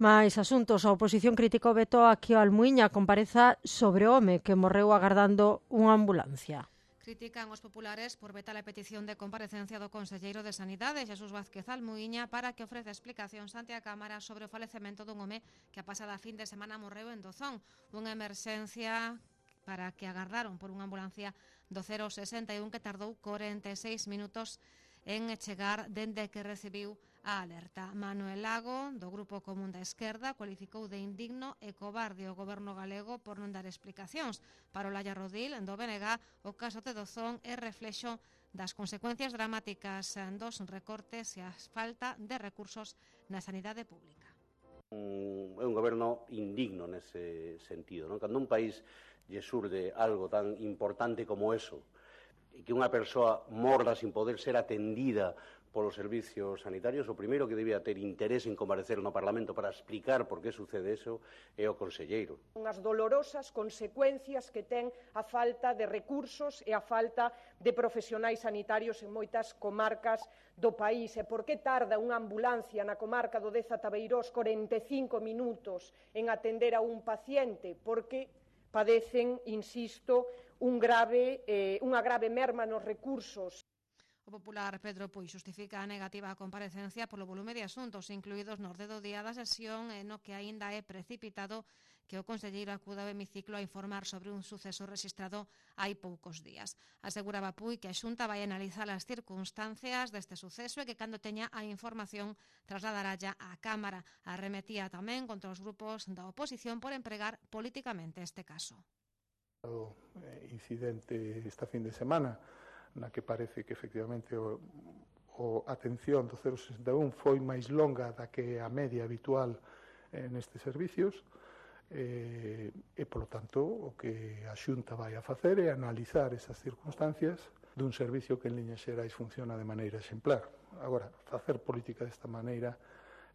Mais asuntos, a oposición criticou o veto a que o Almuíña compareza sobre o home que morreu agardando unha ambulancia. Critican os populares por vetar a petición de comparecencia do conselleiro de Sanidade, Xesús Vázquez Almuíña, para que ofrece explicacións ante a Cámara sobre o falecemento dun home que a pasada fin de semana morreu en Dozón, unha emerxencia para que agardaron por unha ambulancia do 061 que tardou 46 minutos en chegar dende que recibiu a alerta. Manuel Lago, do Grupo Común da Esquerda, cualificou de indigno e cobarde o goberno galego por non dar explicacións. Para Olalla Rodil, do BNG, o caso de Dozón é reflexo das consecuencias dramáticas dos recortes e a falta de recursos na sanidade pública. É un goberno indigno nese sentido, non? Cando un país lle surde algo tan importante como eso, e que unha persoa morra sin poder ser atendida polos servicios sanitarios, o primeiro que debía ter interés en comparecer no Parlamento para explicar por que sucede eso é o conselleiro. Unhas dolorosas consecuencias que ten a falta de recursos e a falta de profesionais sanitarios en moitas comarcas do país. E por que tarda unha ambulancia na comarca do Deza Tabeirós 45 minutos en atender a un paciente? Porque padecen, insisto, unha grave merma nos recursos. O popular Pedro Puig xustifica a negativa a comparecencia polo volume de asuntos incluídos no orde do día da sesión, no que aínda é precipitado que o conselleiro acuda ao hemiciclo a informar sobre un suceso rexistrado hai poucos días. Aseguraba Puig que a Xunta vai analizar as circunstancias deste suceso e que cando teña a información trasladaralla á Cámara. Arremetía tamén contra os grupos da oposición por empregar políticamente este caso. O incidente esta fin de semana na que parece que efectivamente a atención do 061 foi máis longa da que a media habitual nestes servicios e, polo tanto, o que a Xunta vai a facer é analizar esas circunstancias dun servicio que en liñas xerais funciona de maneira exemplar. Agora, facer política desta maneira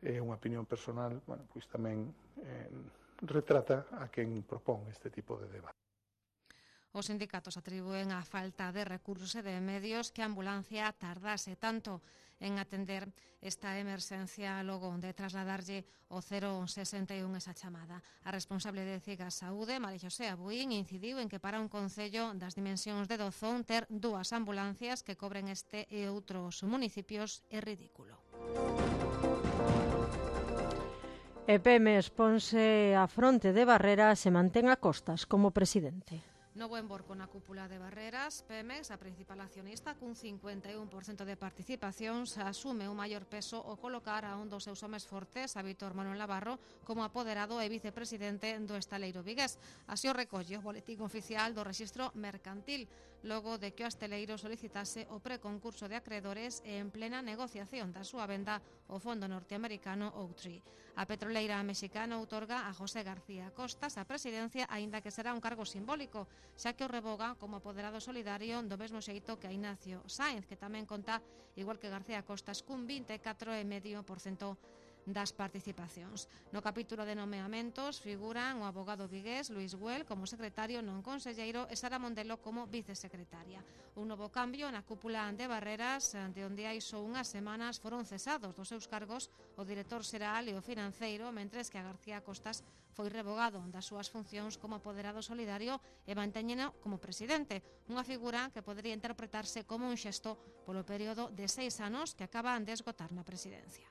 é unha opinión personal, bueno, pois tamén retrata a quen propón este tipo de debate. Os sindicatos atribúen a falta de recursos e de medios que a ambulancia tardase tanto en atender esta emerxencia logo de trasladarlle o 061 esa chamada. A responsable de CIGA Saúde, María Xosé Abuín, incidiu en que para un concello das dimensións de Dozón ter dúas ambulancias que cobren este e outros municipios é ridículo. E Pemex ponse a fronte de Barreras e mantén a Costas como presidente. No bo emborco na cúpula de Barreras, Pemex, a principal accionista, cun 51% de participacións, asume o maior peso ao colocar a un dos seus homes fortes, a Víctor Manuel Navarro, como apoderado e vicepresidente do estaleiro vigués. Así o recolle o boletín oficial do Rexistro Mercantil, logo de que o estaleiro solicitase o preconcurso de acreedores e en plena negociación da súa venda ao fondo norteamericano Oaktree. A petroleira mexicana outorga a José García Costas a presidencia, aínda que será un cargo simbólico, xa que o revoga como apoderado solidario do mesmo xeito que a Ignacio Sáenz, que tamén conta, igual que García Costas, cun 24,5% das participacións. No capítulo de nomeamentos figuran o abogado vigués Luis Güell como secretario non conselleiro e Sara Mondelo como vicesecretaria. Un novo cambio na cúpula de Barreras, de onde hai só unhas semanas foron cesados dos seus cargos o director xeral e o financeiro, mentres que a García Costas foi revogado das súas funcións como apoderado solidario e mantéñeno como presidente, unha figura que podería interpretarse como un xesto polo período de 6 anos que acaban de esgotar na presidencia.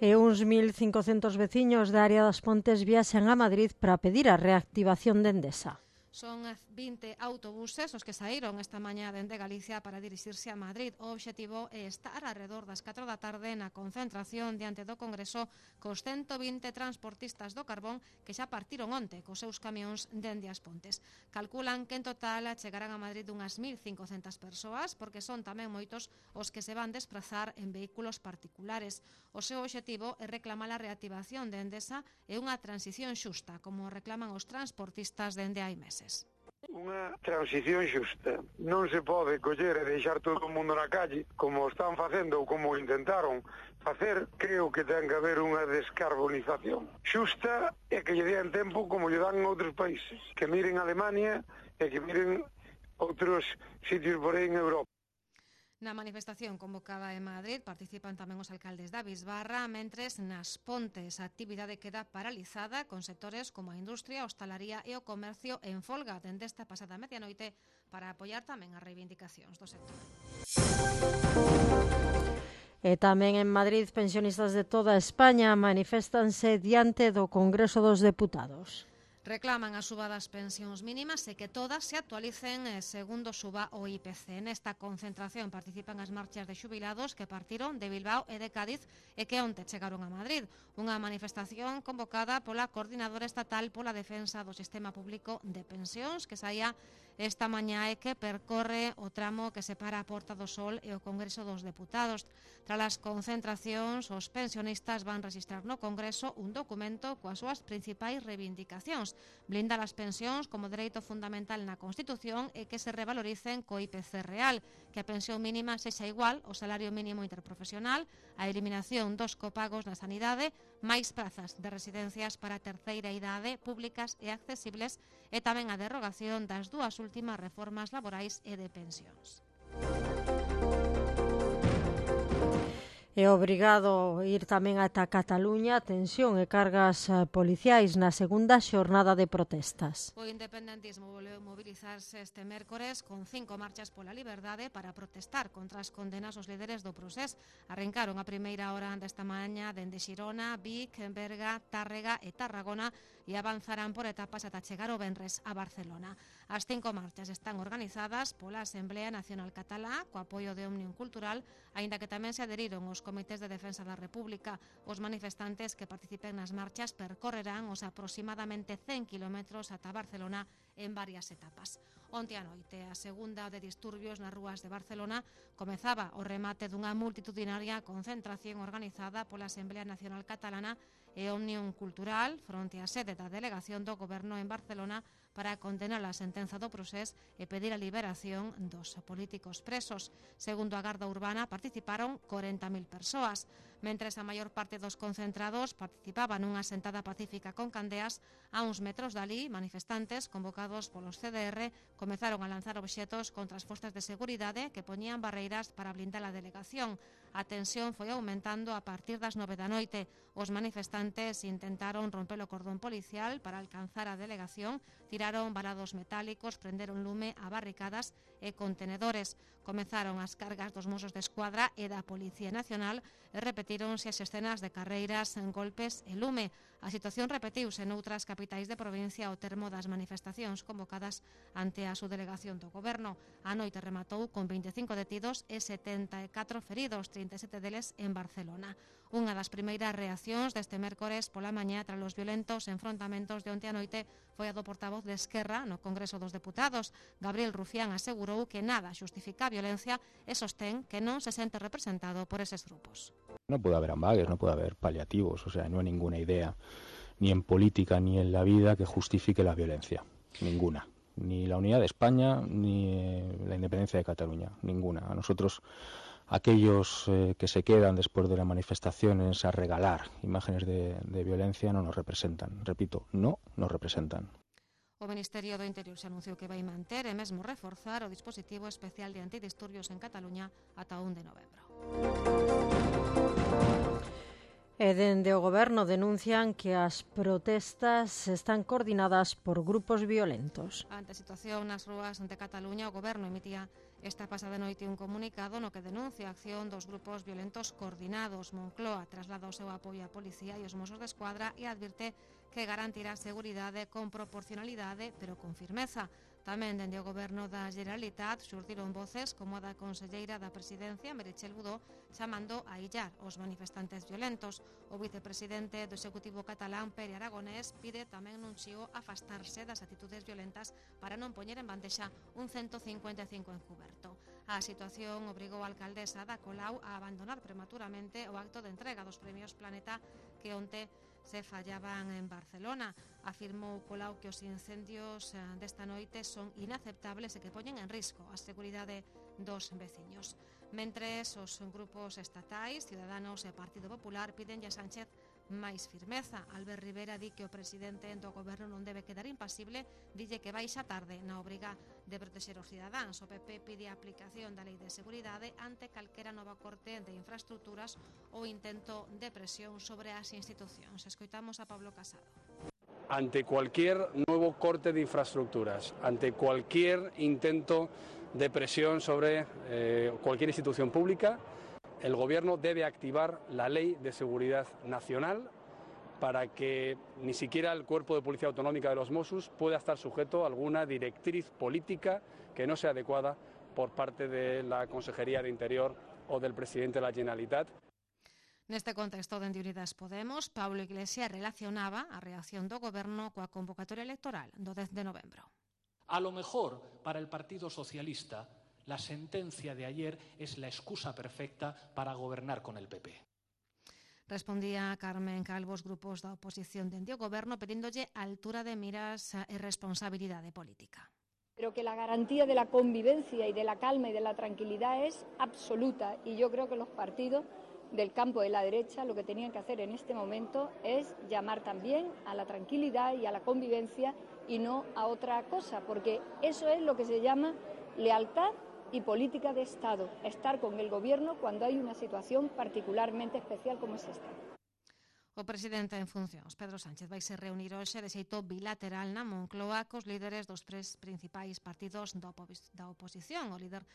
E uns 1.500 veciños da área das Pontes viaxan a Madrid para pedir a reactivación de Endesa. Son 20 autobuses os que saíron esta mañá dende Galicia para dirixirse a Madrid. O obxectivo é estar alrededor das 4 da tarde na concentración diante do Congreso cos 120 transportistas do carbón que xa partiron onte cos seus camións dende as Pontes. Calculan que en total chegarán a Madrid unhas 1.500 persoas, porque son tamén moitos os que se van desplazar en vehículos particulares. O seu obxectivo é reclamar a reactivación de Endesa e unha transición xusta, como reclaman os transportistas dende hai meses. Unha transición xusta. Non se pode coller e deixar todo o mundo na calle, como están facendo ou como intentaron facer. Creo que ten que haber unha descarbonización xusta e que lle den tempo como lle dan en outros países. Que miren Alemania e que miren outros sitios por aí en Europa. Na manifestación convocada en Madrid participan tamén os alcaldes da Bisbarra, mentres nas Pontes a actividade queda paralizada con sectores como a industria, a hostalaría e o comercio en folga dende esta pasada medianoite para apoiar tamén as reivindicacións do sector. E tamén en Madrid, pensionistas de toda España maniféstanse diante do Congreso dos Deputados. Reclaman a suba das pensións mínimas e que todas se actualicen segundo suba o IPC. Nesta concentración participan as marchas de xubilados que partiron de Bilbao e de Cádiz e que onte chegaron a Madrid. Unha manifestación convocada pola Coordinadora Estatal pola Defensa do Sistema Público de Pensións que saía esta mañá e que percorre o tramo que separa a Porta do Sol e o Congreso dos Deputados. Tras as concentracións, os pensionistas van registrar no Congreso un documento coas súas principais reivindicacións. Blindar as pensións como dereito fundamental na Constitución e que se revaloricen co IPC real, que a pensión mínima sexa igual ao salario mínimo interprofesional, a eliminación dos copagos na sanidade, máis prazas de residencias para a terceira idade públicas e accesibles e tamén a derrogación das dúas últimas reformas laborais e de pensións. É obrigado ir tamén ata Cataluña, tensión e cargas policiais na segunda xornada de protestas. O independentismo volveu mobilizarse este mércores con 5 marchas pola liberdade para protestar contra as condenas aos líderes do procés. Arrancaron a primeira hora desta mañá dende Xirona, Vic, Berga, Tárrega e Tarragona e avanzarán por etapas ata chegar o venres a Barcelona. As 5 marchas están organizadas pola Asamblea Nacional Catalá co apoio de Òmnium Cultural, aínda que tamén se aderiron os comités de defensa da República. Os manifestantes que participen nas marchas percorrerán os aproximadamente 100 kilómetros ata Barcelona en varias etapas. Onte a noite, a segunda de disturbios nas rúas de Barcelona comezaba o remate dunha multitudinaria concentración organizada pola Asamblea Nacional Catalana e Òmnium Cultural fronte á sede da delegación do Goberno en Barcelona para condenar a sentenza do procés e pedir a liberación dos políticos presos. Segundo a Garda Urbana, participaron 40.000 persoas. Mentres a maior parte dos concentrados participaban nunha sentada pacífica con candeas, a uns metros dali, manifestantes convocados polos CDR comezaron a lanzar obxetos contra as forzas de seguridade que poñían barreiras para blindar a delegación. A tensión foi aumentando a partir das 9 da noite. Os manifestantes intentaron romper o cordón policial para alcanzar a delegación, tiraron balados metálicos, prenderon lume a barricadas e contenedores. Comezaron as cargas dos Mossos de Escuadra e da Policía Nacional e repetíronse as escenas de carreiras, golpes e lume. A situación repetiuse noutras capitais de provincia ao termo das manifestacións convocadas ante a subdelegación do Goberno. A noite rematou con 25 detidos e 74 feridos, 37 deles en Barcelona. Unha das primeiras reaccións deste mércores pola mañá tras os violentos enfrontamentos de onte a noite foi a do portavoz de Esquerra no Congreso dos Deputados. Gabriel Rufián asegurou que nada xustifica a violencia e sostén que non se sente representado por eses grupos. No puede haber ambages, no puede haber paliativos, o sea, no hay ninguna idea, ni en política ni en la vida, que justifique la violencia. Ninguna. Ni la unidad de España, ni la independencia de Cataluña. Ninguna. A nosotros, aquellos que se quedan después de las manifestaciones a regalar imágenes de violencia no nos representan. Repito, no nos representan. O Ministerio do Interior se anunciou que vai manter e mesmo reforzar o dispositivo especial de antidisturbios en Cataluña ata 1 de novembro. E dende o Goberno denuncian que as protestas están coordinadas por grupos violentos. Ante a situación nas rúas de Cataluña, o Goberno emitía esta pasada noite un comunicado no que denuncia a acción dos grupos violentos coordinados. Moncloa traslada o seu apoio á policía e os Mossos de Escuadra e advirte que garantirá seguridade con proporcionalidade, pero con firmeza. Tamén dende o Goberno da Generalitat xurdiron voces como a da conselleira da Presidencia, Meritxell Budó, chamando a illar os manifestantes violentos. O vicepresidente do Executivo catalán, Pere Aragonés, pide tamén nun chío afastarse das actitudes violentas para non poñer en bandexa un 155 encuberto. A situación obrigou a alcaldesa da Colau a abandonar prematuramente o acto de entrega dos premios Planeta que onte se fallaban en Barcelona. Afirmou Colau que os incendios desta noite son inaceptables e que poñen en risco a seguridade dos veciños. Mentres, os grupos estatais, Ciudadanos e Partido Popular piden a Sánchez máis firmeza. Albert Rivera di que o presidente do Goberno non debe quedar impasible, dille que baixa tarde na obriga de protexer os cidadáns. O PP pide a aplicación da Lei de Seguridade ante calquera nova corte de infraestructuras ou intento de presión sobre as institucións. Escoitamos a Pablo Casado. Ante cualquier nuevo corte de infraestructuras, ante cualquier intento de presión sobre cualquier institución pública, el Gobierno debe activar la Ley de Seguridad Nacional para que ni siquiera el Cuerpo de Policía Autonómica de los Mossos pueda estar sujeto a alguna directriz política que no sea adecuada por parte de la Consejería de Interior o del Presidente de la Generalitat. Neste contexto, dende Unidas Podemos, Pablo Iglesias relacionaba a reacción do Goberno coa convocatoria electoral do 10 de novembro. A lo mejor, para el Partido Socialista, la sentencia de ayer es la excusa perfecta para gobernar con el PP. Respondía Carmen Calvo os grupos da oposición dende o Goberno pedíndolle altura de miras e responsabilidade política. Pero que la garantía de la convivencia y de la calma y de la tranquilidad es absoluta y yo creo que los partidos del campo de la derecha lo que tenían que hacer en este momento es llamar también a la tranquilidad y a la convivencia y no a otra cosa, porque eso es lo que se llama lealtad y política de Estado, estar con el Gobierno cuando hay una situación particularmente especial como es esta. O presidente en funcións, Pedro Sánchez, vai se reunir hoxe de xeito bilateral na Moncloa cos líderes dos tres principais partidos da oposición, o líder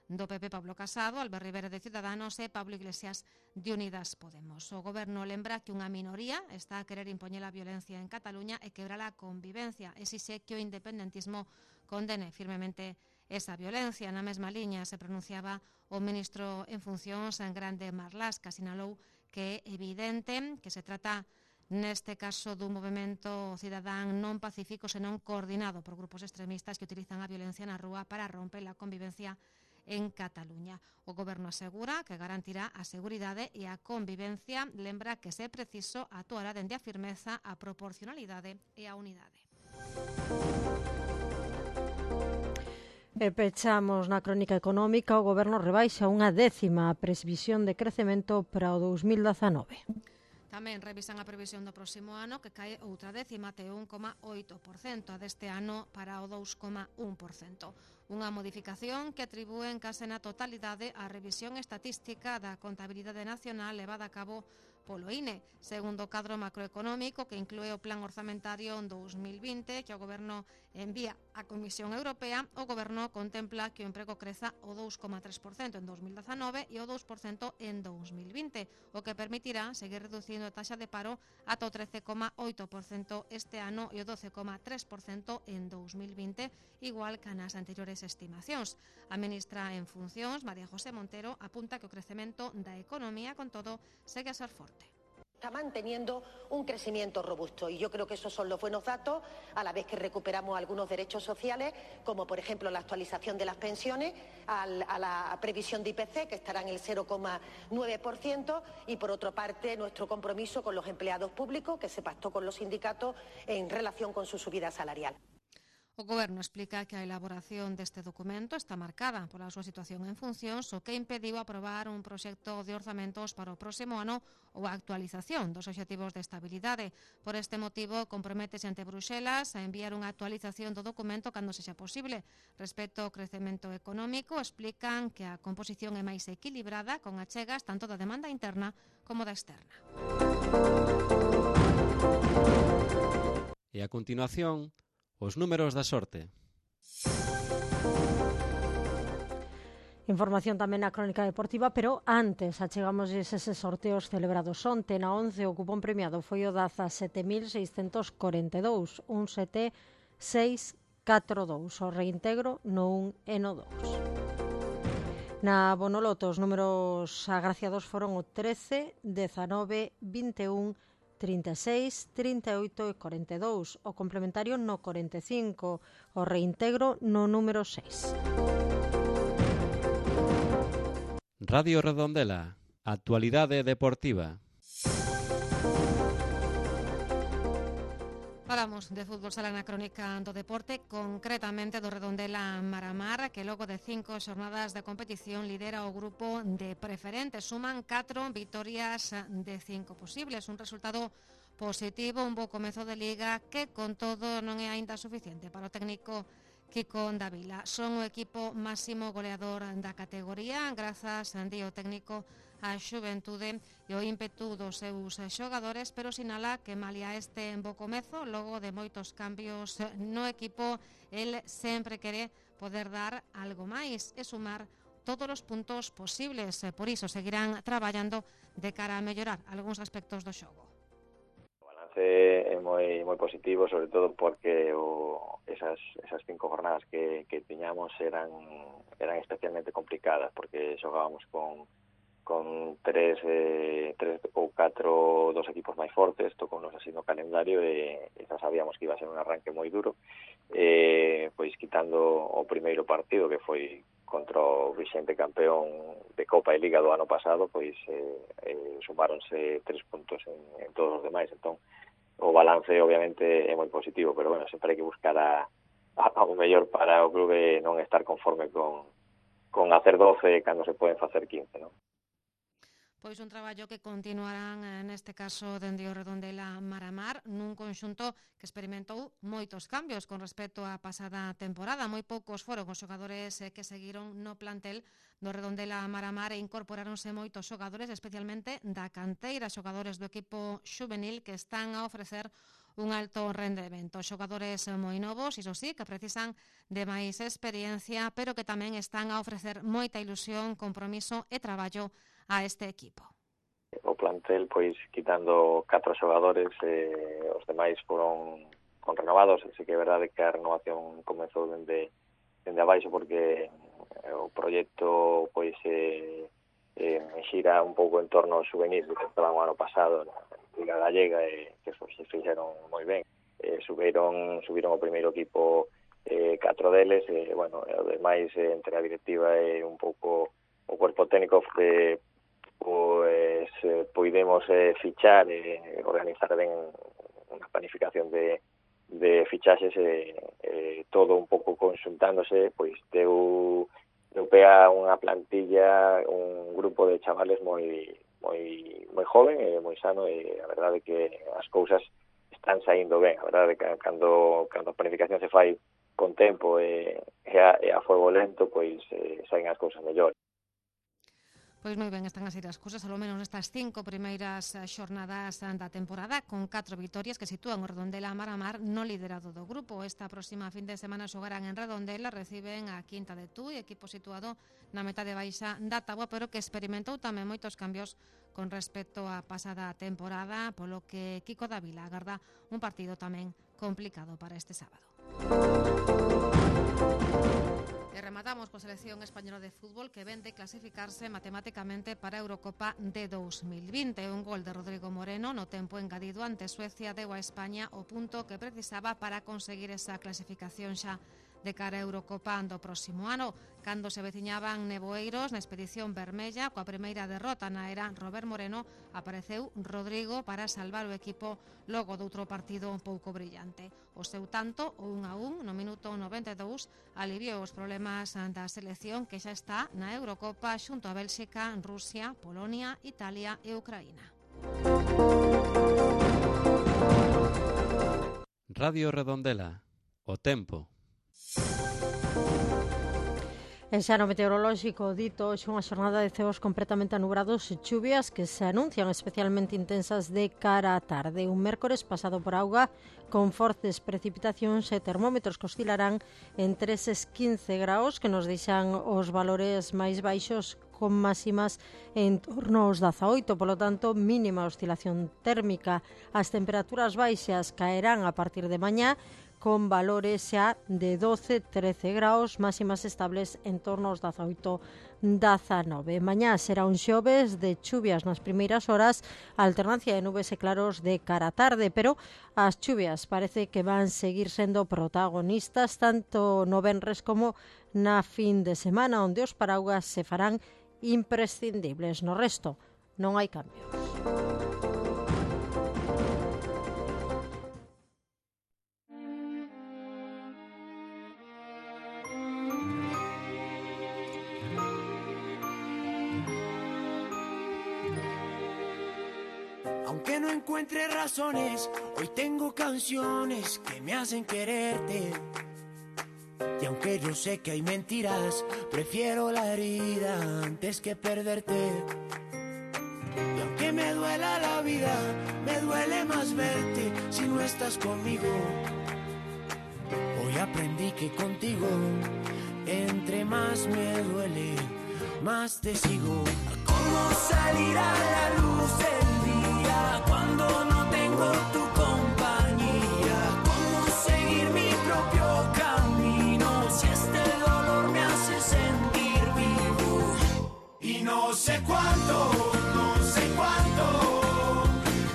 do PP Pablo Casado, Albert Rivera de Ciudadanos e Pablo Iglesias de Unidas Podemos. O Goberno lembra que unha minoría está a querer impoñer a violencia en Cataluña e quebrar a convivencia. Exixe que o independentismo condene firmemente esa violencia. Na mesma liña se pronunciaba o ministro en funcións en Grande Marlaska, sinalou que é evidente que se trata neste caso dun movimento cidadán non pacífico senón coordinado por grupos extremistas que utilizan a violencia na rúa para romper a convivencia en Cataluña. O Goberno asegura que garantirá a seguridade e a convivencia, lembra que se preciso actuará dende a firmeza, a proporcionalidade e a unidade. E pechamos na crónica económica. O Goberno rebaixa unha 10ª a previsión de crecemento para o 2019. Tamén revisan a previsión do próximo ano, que cae outra 10ª até 1,8%, a deste ano para o 2,1%. Unha modificación que atribúen case na totalidade á revisión estatística da contabilidade nacional levada a cabo polo INE, segundo o cadro macroeconómico que inclúe o plan orzamentario en 2020 que o Goberno envía á Comisión Europea. O Goberno contempla que o emprego creza o 2,3% en 2019 e o 2% en 2020, o que permitirá seguir reducindo a taxa de paro ata o 13,8% este ano e o 12,3% en 2020, igual que nas anteriores estimacións. A ministra en funcións, María José Montero, apunta que o crecemento da economía, con todo, segue a ser forte. Está manteniendo un crecimiento robusto y yo creo que esos son los buenos datos, a la vez que recuperamos algunos derechos sociales, como por ejemplo la actualización de las pensiones a la previsión de IPC, que estará en el 0,9%, y por otra parte nuestro compromiso con los empleados públicos, que se pactó con los sindicatos en relación con su subida salarial. O Goberno explica que a elaboración deste documento está marcada pola súa situación en funcións, o que impediu aprobar un proxecto de orzamentos para o próximo ano ou a actualización dos obxectivos de estabilidade. Por este motivo, comprométese ante Bruxelas a enviar unha actualización do documento cando sexa posible. Respecto ao crecemento económico, explican que a composición é máis equilibrada, con achegas tanto da demanda interna como da externa. E a continuación, os números da sorte. Información tamén na crónica deportiva, pero antes achegamos eses sorteos celebrados onte. Na 11 o cupón premiado foi o da 17.642, 17642. O reintegro no 1 e no 2. Na Bonoloto os números agraciados foron o 13, 19, 21, 36, 38 e 42, o complementario no 45, o reintegro no número 6. Radio Redondela, actualidade deportiva. Falamos de fútbol sala na crónica do deporte, concretamente do Redondela Maramar, que logo de 5 xornadas de competición lidera o grupo de preferentes. Suman 4 vitorias de 5 posibles, un resultado positivo, un bo comezo de liga que con todo non é aínda suficiente para o técnico Kiko Davila. Son o equipo máximo goleador da categoría, grazas, di o técnico, a xuventude e o ímpetu dos seus xogadores, pero sinala que malia este bo comezo, logo de moitos cambios no equipo, el sempre quere poder dar algo máis e sumar todos os puntos posibles. Por iso seguirán traballando de cara a mellorar algúns aspectos do xogo. O balance é moi positivo, sobre todo porque esas 5 jornadas que tiñamos eran especialmente complicadas, porque xogábamos con 3 ou 4 dos equipos máis fortes, tocounos así no calendario e xa sabíamos que iba a ser un arranque moi duro, pois quitando o primeiro partido que foi contra o vixente campeón de Copa e Liga do ano pasado, pois sumáronse 3 puntos en todos os demais. Entón o balance obviamente é moi positivo, pero bueno, sempre hai que buscar o mellor para o clube, non estar conforme con hacer 12 cando se poden facer 15, non? Pois un traballo que continuarán neste caso dende o Redondela Maramar nun conxunto que experimentou moitos cambios con respecto á pasada temporada. Moi poucos foron os xogadores que seguiron no plantel do Redondela Maramar e incorporáronse moitos xogadores, especialmente da canteira, xogadores do equipo xuvenil que están a ofrecer un alto rendemento. Xogadores moi novos, iso sí, que precisan de máis experiencia, pero que tamén están a ofrecer moita ilusión, compromiso e traballo a este equipo. O plantel, pois, quitando 4 xogadores, os demais foron renovados. Así que é verdade que a renovación comezou dende abaixo, porque o proxecto pois xira un pouco en torno ao juvenil que estaban o ano pasado na Liga Gallega, que se fixeron moi ben. Subiron o primeiro equipo 4 deles, bueno, o demais entre a directiva e un pouco o cuerpo técnico poidemos fichar e organizar ben unha planificación de fichaxes todo un pouco conxuntándose, pois deu pea unha plantilla, un grupo de chavales moi joven e moi sano, e a verdade é que as cousas están saindo ben. A verdade é que cando a planificación se fai con tempo e a fuego lento, pois saen as cousas mellores. Pois moi ben están a ser as cousas, ao menos nestas 5 primeiras xornadas da temporada, con 4 vitorias que sitúan o Redondela mar a mar no liderado do grupo. Esta próxima fin de semana xogarán en Redondela, reciben a Quinta de Tui, equipo situado na metade baixa da táboa, pero que experimentou tamén moitos cambios con respecto á pasada temporada, polo que Kiko Dávila agarda un partido tamén complicado para este sábado. E rematamos coa selección española de fútbol que ven de clasificarse matemáticamente para a Eurocopa de 2020. Un gol de Rodrigo Moreno no tempo engadido ante Suecia deu a España o punto que precisaba para conseguir esa clasificación xa de cara a Eurocopa do próximo ano. Cando se veciñaban nevoeiros na expedición vermella, coa primeira derrota na era Robert Moreno, apareceu Rodrigo para salvar o equipo logo doutro partido un pouco brillante. O seu tanto, o 1-1 no minuto 92, aliviou os problemas da selección que xa está na Eurocopa xunto a Bélxica, Rusia, Polonia, Italia e Ucraína. Radio Redondela, o tempo. En xano meteorolóxico dito hoxe unha xornada de ceos completamente anubrados e chuvias que se anuncian especialmente intensas de cara á tarde. Un mércores pasado por auga con fortes precipitacións e termómetros que oscilarán entre eses 15 graus que nos deixan os valores máis baixos con máximas en torno aos 18, polo tanto mínima oscilación térmica. As temperaturas baixas caerán a partir de mañá con valores xa de 12-13 graus, máximas estables en torno aos 18-19. Mañá será un xoves de chuvias nas primeiras horas, alternancia de nubes e claros de cara á tarde, pero as chuvias parece que van seguir sendo protagonistas tanto no venres como na fin de semana, onde os paraugas se farán imprescindibles. No resto, non hai cambios. Aunque no encuentre razones, hoy tengo canciones que me hacen quererte. Y aunque yo sé que hay mentiras, prefiero la herida antes que perderte. Y aunque me duela la vida, me duele más verte si no estás conmigo. Hoy aprendí que contigo, entre más me duele, más te sigo. ¿Cómo salir a la luz del día cuando no tengo tu compañía? ¿Cómo seguir mi propio camino si este dolor me hace sentir vivo? Y no sé cuánto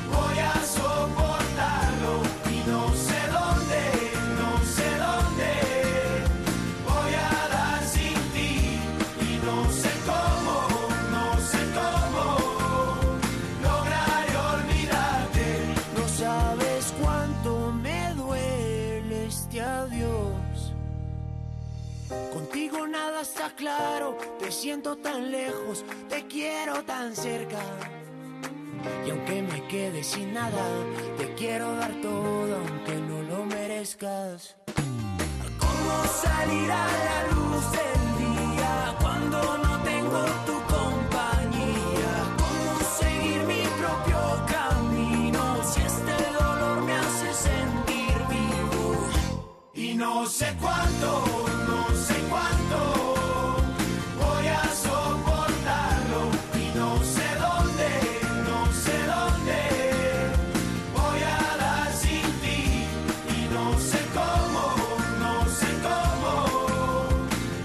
voy a soportarlo. Y no sé dónde voy a dar sin ti. Y no sé cómo lograré olvidarte. No sabes cuánto me duele este adiós. Contigo nada está claro, te siento tan lejos, te quiero tan cerca. Y aunque me quede sin nada, te quiero dar todo aunque no lo merezcas. ¿Cómo salir a la luz del día cuando no tengo tu compañía? ¿Cómo seguir mi propio camino si este dolor me hace sentir vivo? Y no sé cuánto voy a soportarlo. Y no sé dónde voy a dar sin ti. Y no sé cómo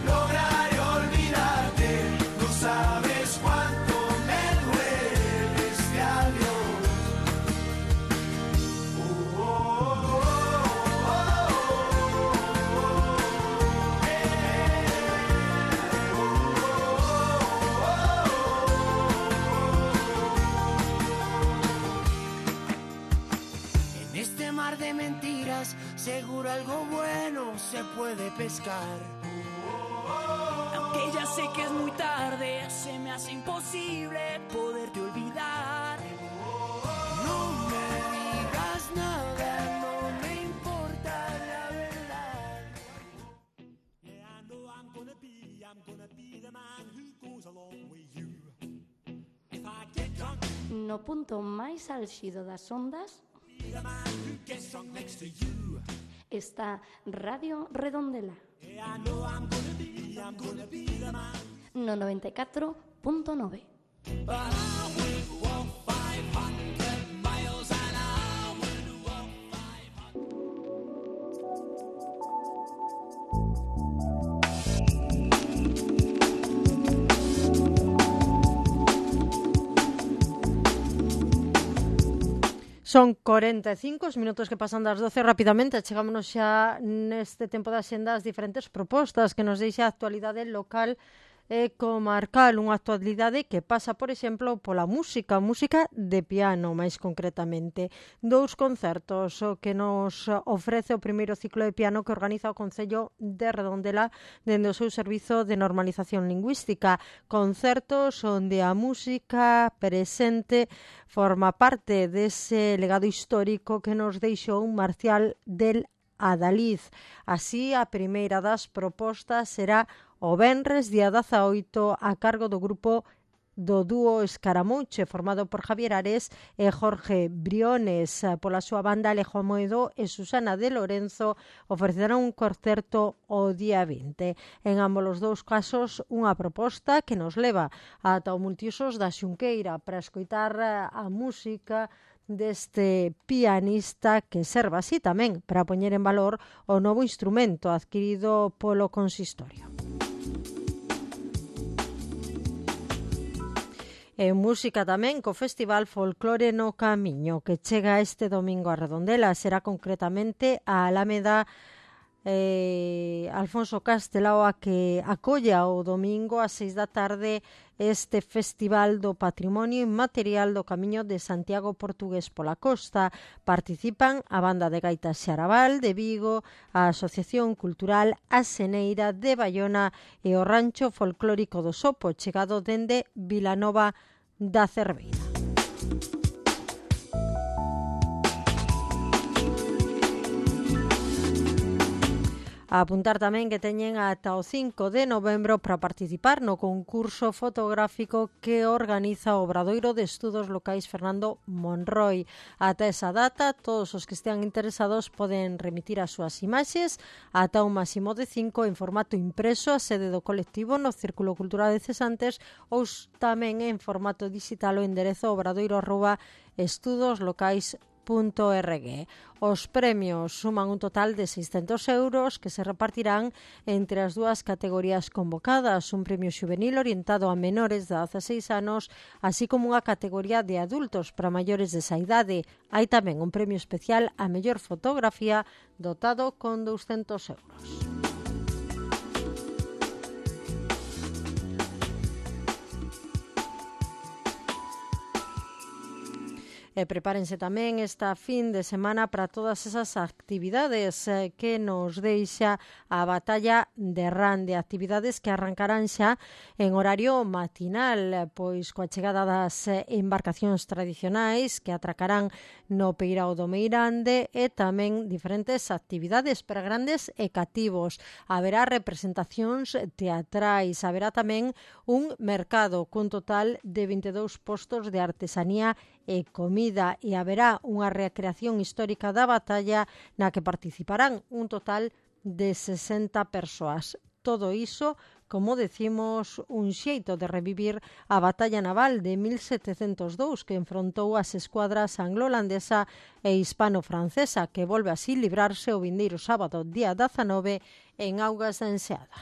lograré olvidarte. No sabes cuánto me duele este adiós. se puede pescar. Aunque ya sé que es muy tarde, se me hace imposible poderte olvidar. No me digas nada, no me importa la verdad. Yeah, I know I'm gonna be the man who goes along with you. If I get drunk, no punto máis álxido das ondas está Radio Redondela. No 94.9. Son 45 os minutos que pasan das 12 rapidamente. Chegámonos xa neste tempo da xenda as diferentes propostas que nos deixa a actualidade local e comarcal, unha actualidade que pasa, por exemplo, pola música de piano, máis concretamente. 2 concertos o que nos ofrece o primeiro ciclo de piano que organiza o Concello de Redondela dende o seu servizo de normalización lingüística. Concertos onde a música presente forma parte dese legado histórico que nos deixou Marcial del Adaliz. Así, a primeira das propostas será o venres, día 18, a cargo do grupo do dúo Escaramuche, formado por Javier Ares e Jorge Briones. Pola súa banda, Alejo Moedo e Susana de Lorenzo ofrecerán un concerto o día 20. En ambos os dous casos, unha proposta que nos leva ata o multiusos da Xunqueira para escoitar a música deste pianista que serva así tamén para poñer en valor o novo instrumento adquirido polo consistorio. E música tamén co Festival Folclore no Camiño, que chega este domingo a Redondela. Será concretamente a Alameda Alfonso Castelao a que acolla o domingo a 6 da tarde este Festival do Patrimonio Inmaterial do Camiño de Santiago Portugués pola Costa. Participan a Banda de Gaitas Xaraval de Vigo, a Asociación Cultural A Seneira de Baiona e o Rancho Folclórico do Sopo, chegado dende Vilanova da Cerveira. A apuntar tamén que teñen ata o 5 de novembro para participar no concurso fotográfico que organiza o Obradoiro de Estudos Locais Fernando Monroy. Ata esa data, todos os que estean interesados poden remitir as súas imaxes ata un máximo de 5 en formato impreso a sede do colectivo no Círculo Cultural de Cesantes ou tamén en formato digital o enderezo obradoiro@estudoslocais.org. Os premios suman un total de 600 euros que se repartirán entre as dúas categorías convocadas, un premio xuvenil orientado a menores de 16 anos, así como unha categoría de adultos para maiores desa idade. Hai tamén un premio especial a mellor fotografía dotado con 200 euros. E prepárense tamén esta fin de semana para todas esas actividades que nos deixa a batalla de Rande, actividades que arrancarán xa en horario matinal, pois coa chegada das embarcacións tradicionais que atracarán no Peirao do Meirande e tamén diferentes actividades para grandes e cativos. Haberá representacións teatrais, haberá tamén un mercado cun total de 22 postos de artesanía e comida e haberá unha recreación histórica da batalla na que participarán un total de 60 persoas. Todo iso, como decimos, un xeito de revivir a batalla naval de 1702 que enfrontou as escuadras anglo-holandesa e hispano-francesa, que volve así librarse o vindeiro sábado, día 19, en augas da Enseada.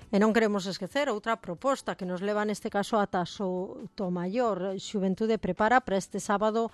E non queremos esquecer outra proposta que nos leva neste caso ata Sotomayor. Xuventude prepara para este sábado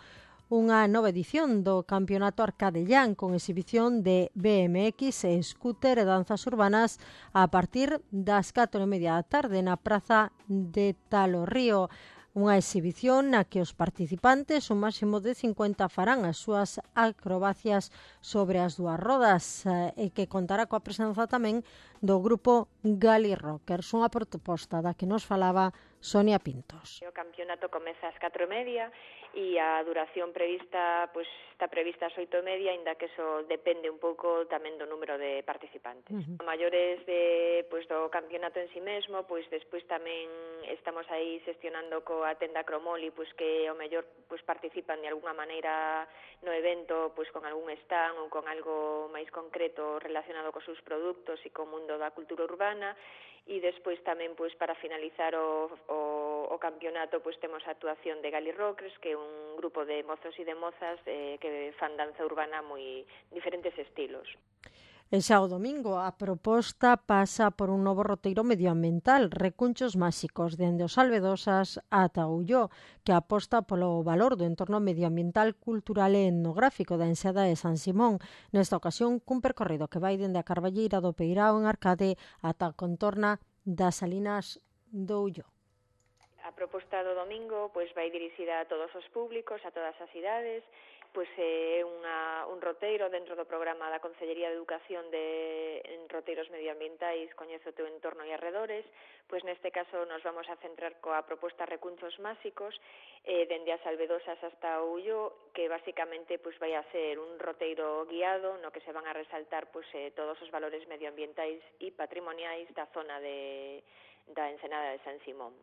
unha nova edición do Campeonato Arcadellán con exhibición de BMX e scooter e danzas urbanas a partir das 4:30 da tarde na Praza de Talo Río. Unha exhibición na que os participantes, un máximo de 50, farán as súas acrobacias sobre as dúas rodas e que contará coa presenza tamén do grupo Gali Rockers, unha proposta da que nos falaba Sonia Pintos. O campeonato comeza ás 4:30 e a duración prevista está prevista ás 8:30, aínda que eso depende un pouco tamén do número de participantes. Maiores do campeonato en si mesmo, despois tamén estamos aí xestionando coa tenda Cromoli, que ao mellor participan de algunha maneira no evento, con algún stand ou con algo máis concreto relacionado cos seus produtos e co mundo da cultura urbana. E despois tamén, para finalizar o campeonato, temos a actuación de Gali Rockers, que é un grupo de mozos e de mozas que fan danza urbana moi diferentes estilos. E xa o domingo a proposta pasa por un novo roteiro medioambiental, Recunchos Máxicos, dende os Albedosas ata Ulló, que aposta polo valor do entorno medioambiental, cultural e etnográfico da enseada de San Simón. Nesta ocasión, cun percorrido que vai dende a Carballeira do Peirao en Arcade ata a contorna das Salinas do Ulló. A proposta do domingo vai dirixida a todos os públicos, a todas as idades. É un roteiro dentro do programa da Consellería de Educación en roteiros medioambientais, Coñece o teu entorno e arredores. Neste caso nos vamos a centrar coa proposta Recunchos Máxicos, dende as Albedosas hasta o Ulló, que basicamente vai a ser un roteiro guiado no que se van a resaltar todos os valores medioambientais e patrimoniais da zona da ensenada de San Simón.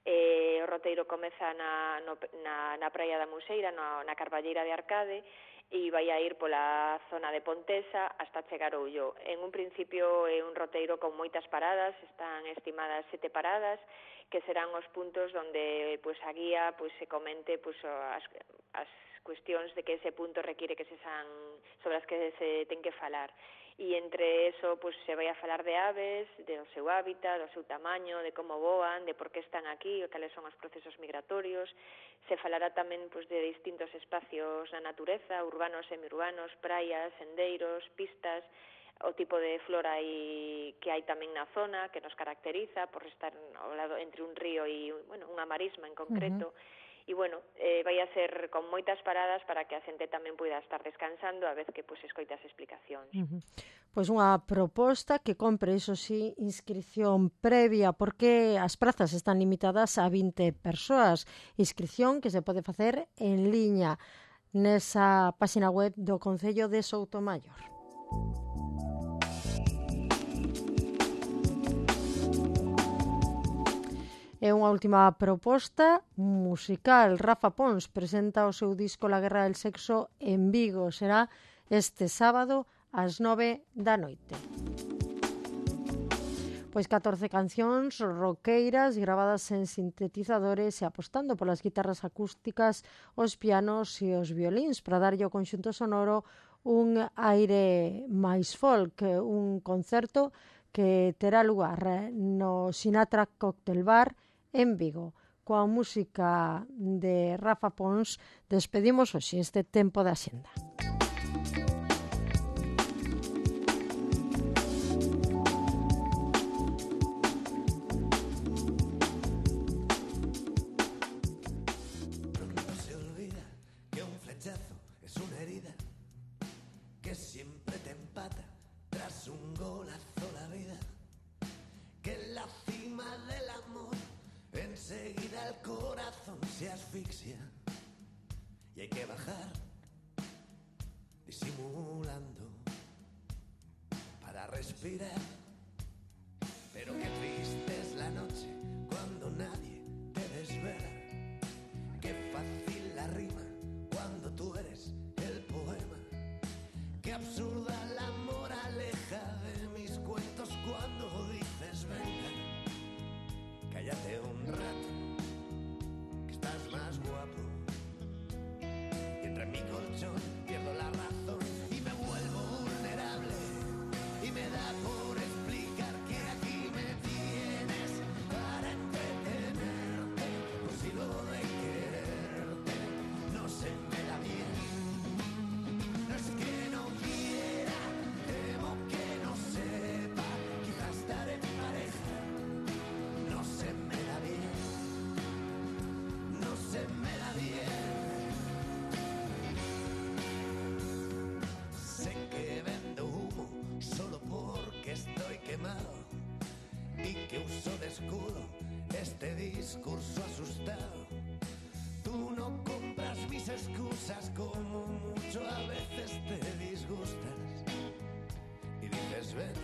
O roteiro comeza na Praia da Museira, na Carballeira de Arcade, e vai a ir pola zona de Pontesa hasta chegar ao Ulló. En un principio é un roteiro con moitas paradas, están estimadas 7 paradas, que serán os puntos onde a guía se comente as cuestións de que ese punto require sobre as que se ten que falar. E entre eso se vai a falar de aves, do seu hábitat, do seu tamaño, de como voan, de por que están aquí, cales son os procesos migratorios. Se falará tamén de distintos espacios na natureza, urbanos, semiurbanos, praias, sendeiros, pistas, o tipo de flora que hai tamén na zona, que nos caracteriza por estar ao lado entre un río e unha marisma en concreto. E, vai a ser con moitas paradas para que a xente tamén poida estar descansando a vez que escoita as explicacións. Unha proposta que compre, iso sí, inscripción previa, porque as prazas están limitadas a 20 persoas. Inscripción que se pode facer en liña nesa página web do Concello de Soutomaior. E unha última proposta musical. Rafa Pons presenta o seu disco La Guerra del Sexo en Vigo. Será este sábado ás 9 da noite. 14 cancións roqueiras gravadas en sintetizadores e apostando polas guitarras acústicas, os pianos e os violíns para darlle ao conxunto sonoro un aire máis folk, un concerto que terá lugar no Sinatra Cocktail Bar en Vigo. Coa música de Rafa Pons despedimos hoxe este tempo da Xenda. No se olvida que un flechazo es una herida que siempre te empata tras un golazo la vida, que en la cima del amor enseguida el corazón se asfixia y hay que bajar disimulando para respirar. Pero qué triste es la noche cuando nadie te desvela, qué fácil la rima cuando tú eres el poema, qué absurda la moraleja de mis cuentos cuando dices venga, cállate un rato, que estás más guapo. Y entre mi colchón pierdo la razón y me vuelvo vulnerable. Y me da por explicar que aquí me tienes para entretenerte. Pues si lo de quererte no se me da bien. No es que no quiera discurso asustado. Tú no compras mis excusas, como mucho a veces te disgustas y dices vete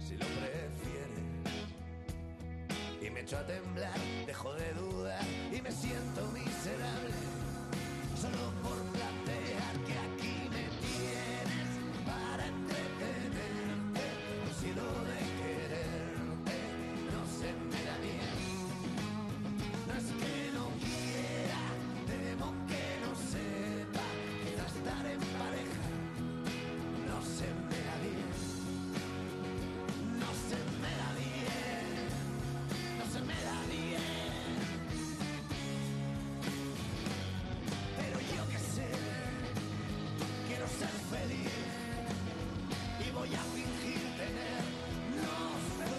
si lo prefieres, y me echo a temblar, dejo de dudar y me siento miserable solo por plantear que aquí me tienes para entretenerte. Si lo de quererte no se me da bien, no es que no quiera, temo que no sepa, quizás estar en pareja no se me da bien, no se me da bien, no se me da bien. Pero yo que sé, quiero ser feliz y voy a fingir tener, no sé,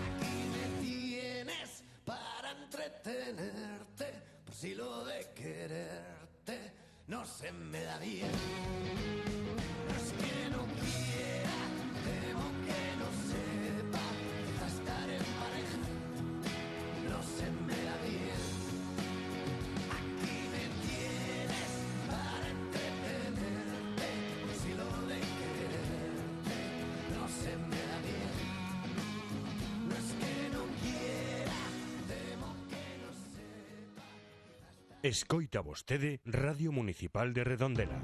aquí me tienes para entretenerte, por si lo de quererte no se me da bien. No es que no quiera, temo que no sepa, quizás estar en pareja no se me da bien. Aquí me tienes para entretenerte, por si lo de quererte no se me da bien. No es que no quiera, temo que no sepa. Escoita vostede Radio Municipal de Redondela.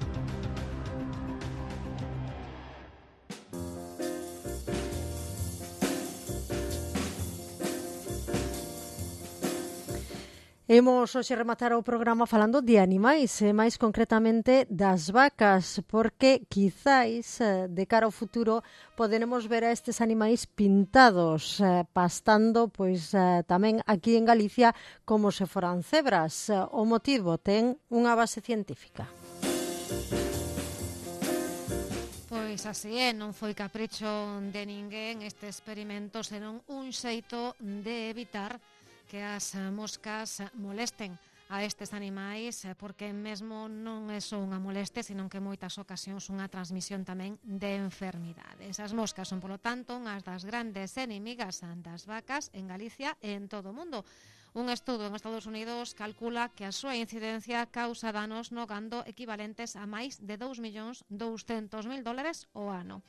Imos hoxe rematar o programa falando de animais, e máis concretamente das vacas, porque quizáis de cara ao futuro poderemos ver a estes animais pintados, pastando pois tamén aquí en Galicia como se foran cebras. O motivo ten unha base científica. Pois así é, non foi capricho de ninguén este experimento, senón un xeito de evitar que as moscas molesten a estes animais, porque mesmo non é só unha moleste, sino que en moitas ocasións unha transmisión tamén de enfermidades. As moscas son, polo tanto, unhas das grandes enemigas das vacas en Galicia e en todo o mundo. Un estudo en Estados Unidos calcula que a súa incidencia causa danos no gando equivalentes a máis de $2.200.000 ao ano.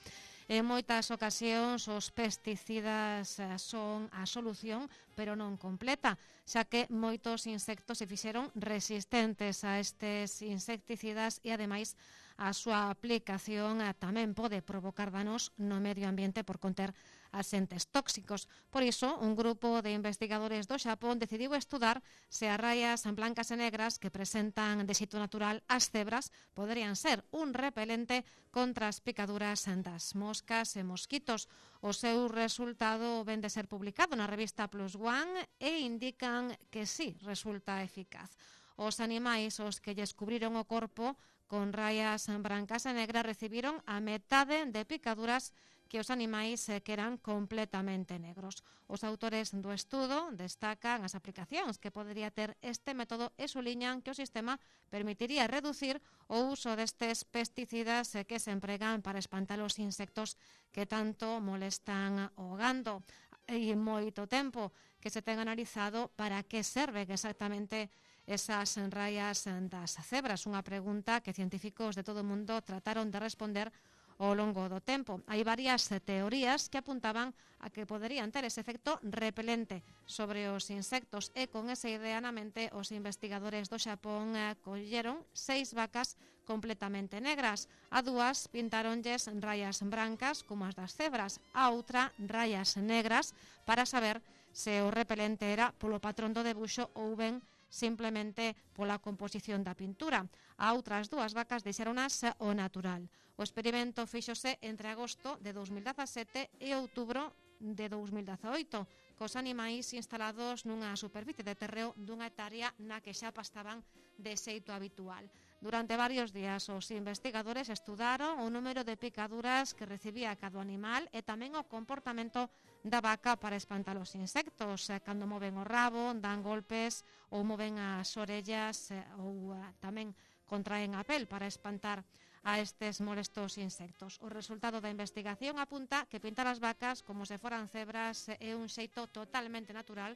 En moitas ocasións os pesticidas son a solución, pero non completa, xa que moitos insectos se fixeron resistentes a estes insecticidas e, ademais, a súa aplicación tamén pode provocar danos no medio ambiente por conter axentes tóxicos. Por iso, un grupo de investigadores do Xapón decidiu estudar se as raias blancas e negras que presentan de xeito natural as cebras poderían ser un repelente contra as picaduras das moscas e mosquitos. O seu resultado ven de ser publicado na revista Plus One e indican que sí, resulta eficaz. Os animais os que lles cubriron o corpo con raias brancas e negras recibiron a metade de picaduras que os animais que eran completamente negros. Os autores do estudo destacan as aplicacións que podería ter este método e suliñan que o sistema permitiría reducir o uso destes pesticidas que se empregan para espantar os insectos que tanto molestan o gando. E moito tempo que se ten analizado para que serven exactamente esas raias das cebras, unha pregunta que científicos de todo o mundo trataron de responder ao longo do tempo. Hai varias teorías que apuntaban a que poderían ter ese efecto repelente sobre os insectos e con esa idea na mente os investigadores do Xapón colleron 6 vacas completamente negras. A 2 pintaronlles raias brancas como as das cebras, a outra raias negras para saber se o repelente era polo patrón do debuxo ou ben simplemente pola composición da pintura. A outras 2 vacas deixaronas o natural. O experimento fíxose entre agosto de 2017 e outubro de 2018, cos animais instalados nunha superficie de terreo dunha hectárea na que xa pastaban de xeito habitual. Durante varios días os investigadores estudaron o número de picaduras que recibía cada animal e tamén o comportamento da vaca para espantar os insectos, cando moven o rabo, dan golpes ou moven as orellas ou tamén contraen a pel para espantar a estes molestos insectos. O resultado da investigación apunta que pintar as vacas como se foran cebras é un xeito totalmente natural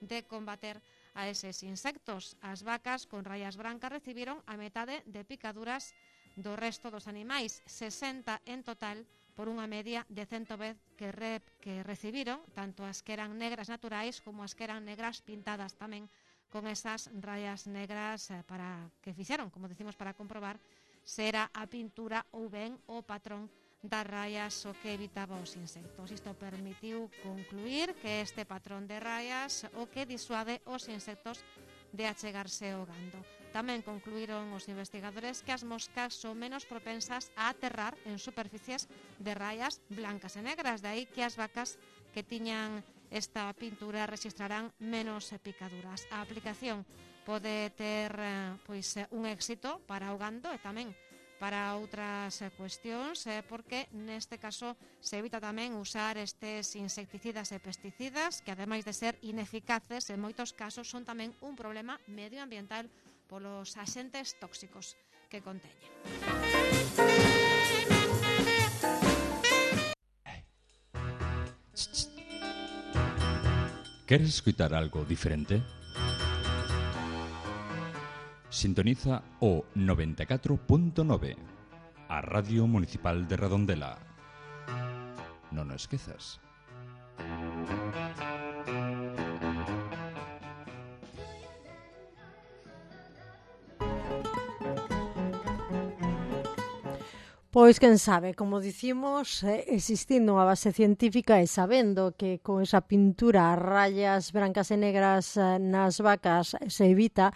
de combater a eses insectos. As vacas con rayas brancas recibiron a metade de picaduras do resto dos animais, 60 en total, por unha media de 110 que recibiron, tanto as que eran negras naturais como as que eran negras pintadas tamén con esas rayas negras para que fixeron, como decimos, para comprobar se era a pintura ou ben o patrón das rayas o que evitaba os insectos. Isto permitiu concluir que este patrón de rayas o que disuade os insectos de achegarse ao gando. Tamén concluíron os investigadores que as moscas son menos propensas a aterrar en superficies de rayas blancas e negras, de aí que as vacas que tiñan esta pintura registrarán menos picaduras. A aplicación pode ter un éxito para o gando e tamén para outras cuestións, porque neste caso se evita tamén usar estes insecticidas e pesticidas que, ademais de ser ineficaces, en moitos casos son tamén un problema medioambiental polos axentes tóxicos que conteñen. Queres escoitar algo diferente? Sintoniza o 94.9, a Radio Municipal de Redondela. Non o esquezas. Pois quen sabe, como dicimos, existindo unha base científica e sabendo que con esa pintura a rayas brancas e negras nas vacas se evita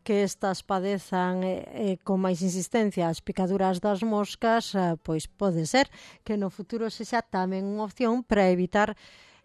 que estas padezan con máis insistencia as picaduras das moscas, pois pode ser que no futuro sexa tamén unha opción para evitar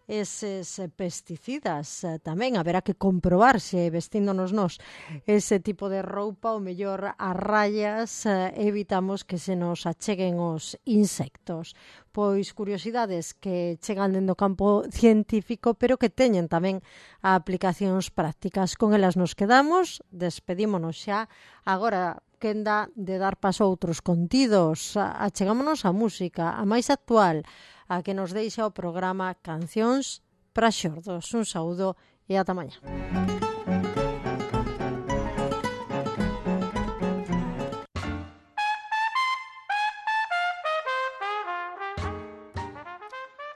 eses pesticidas. Tamén haberá que comprobar se vestíndonos nós ese tipo de roupa o mellor a rayas evitamos que se nos acheguen os insectos. Pois curiosidades que chegan dentro do campo científico, pero que teñen tamén aplicacións prácticas. Con elas nos quedamos, despedímonos xa. Agora quenda de dar paso a outros contidos. Achegámonos a música, a máis actual, a que nos deixa o programa Cancións para Xordos. Un saúdo e ata mañá.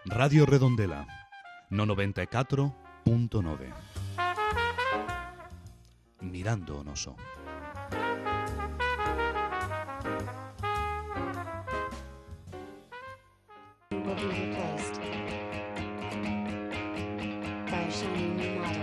Radio Redondela, no 94.9. Mirando o noso. Will be replaced by a shiny new model.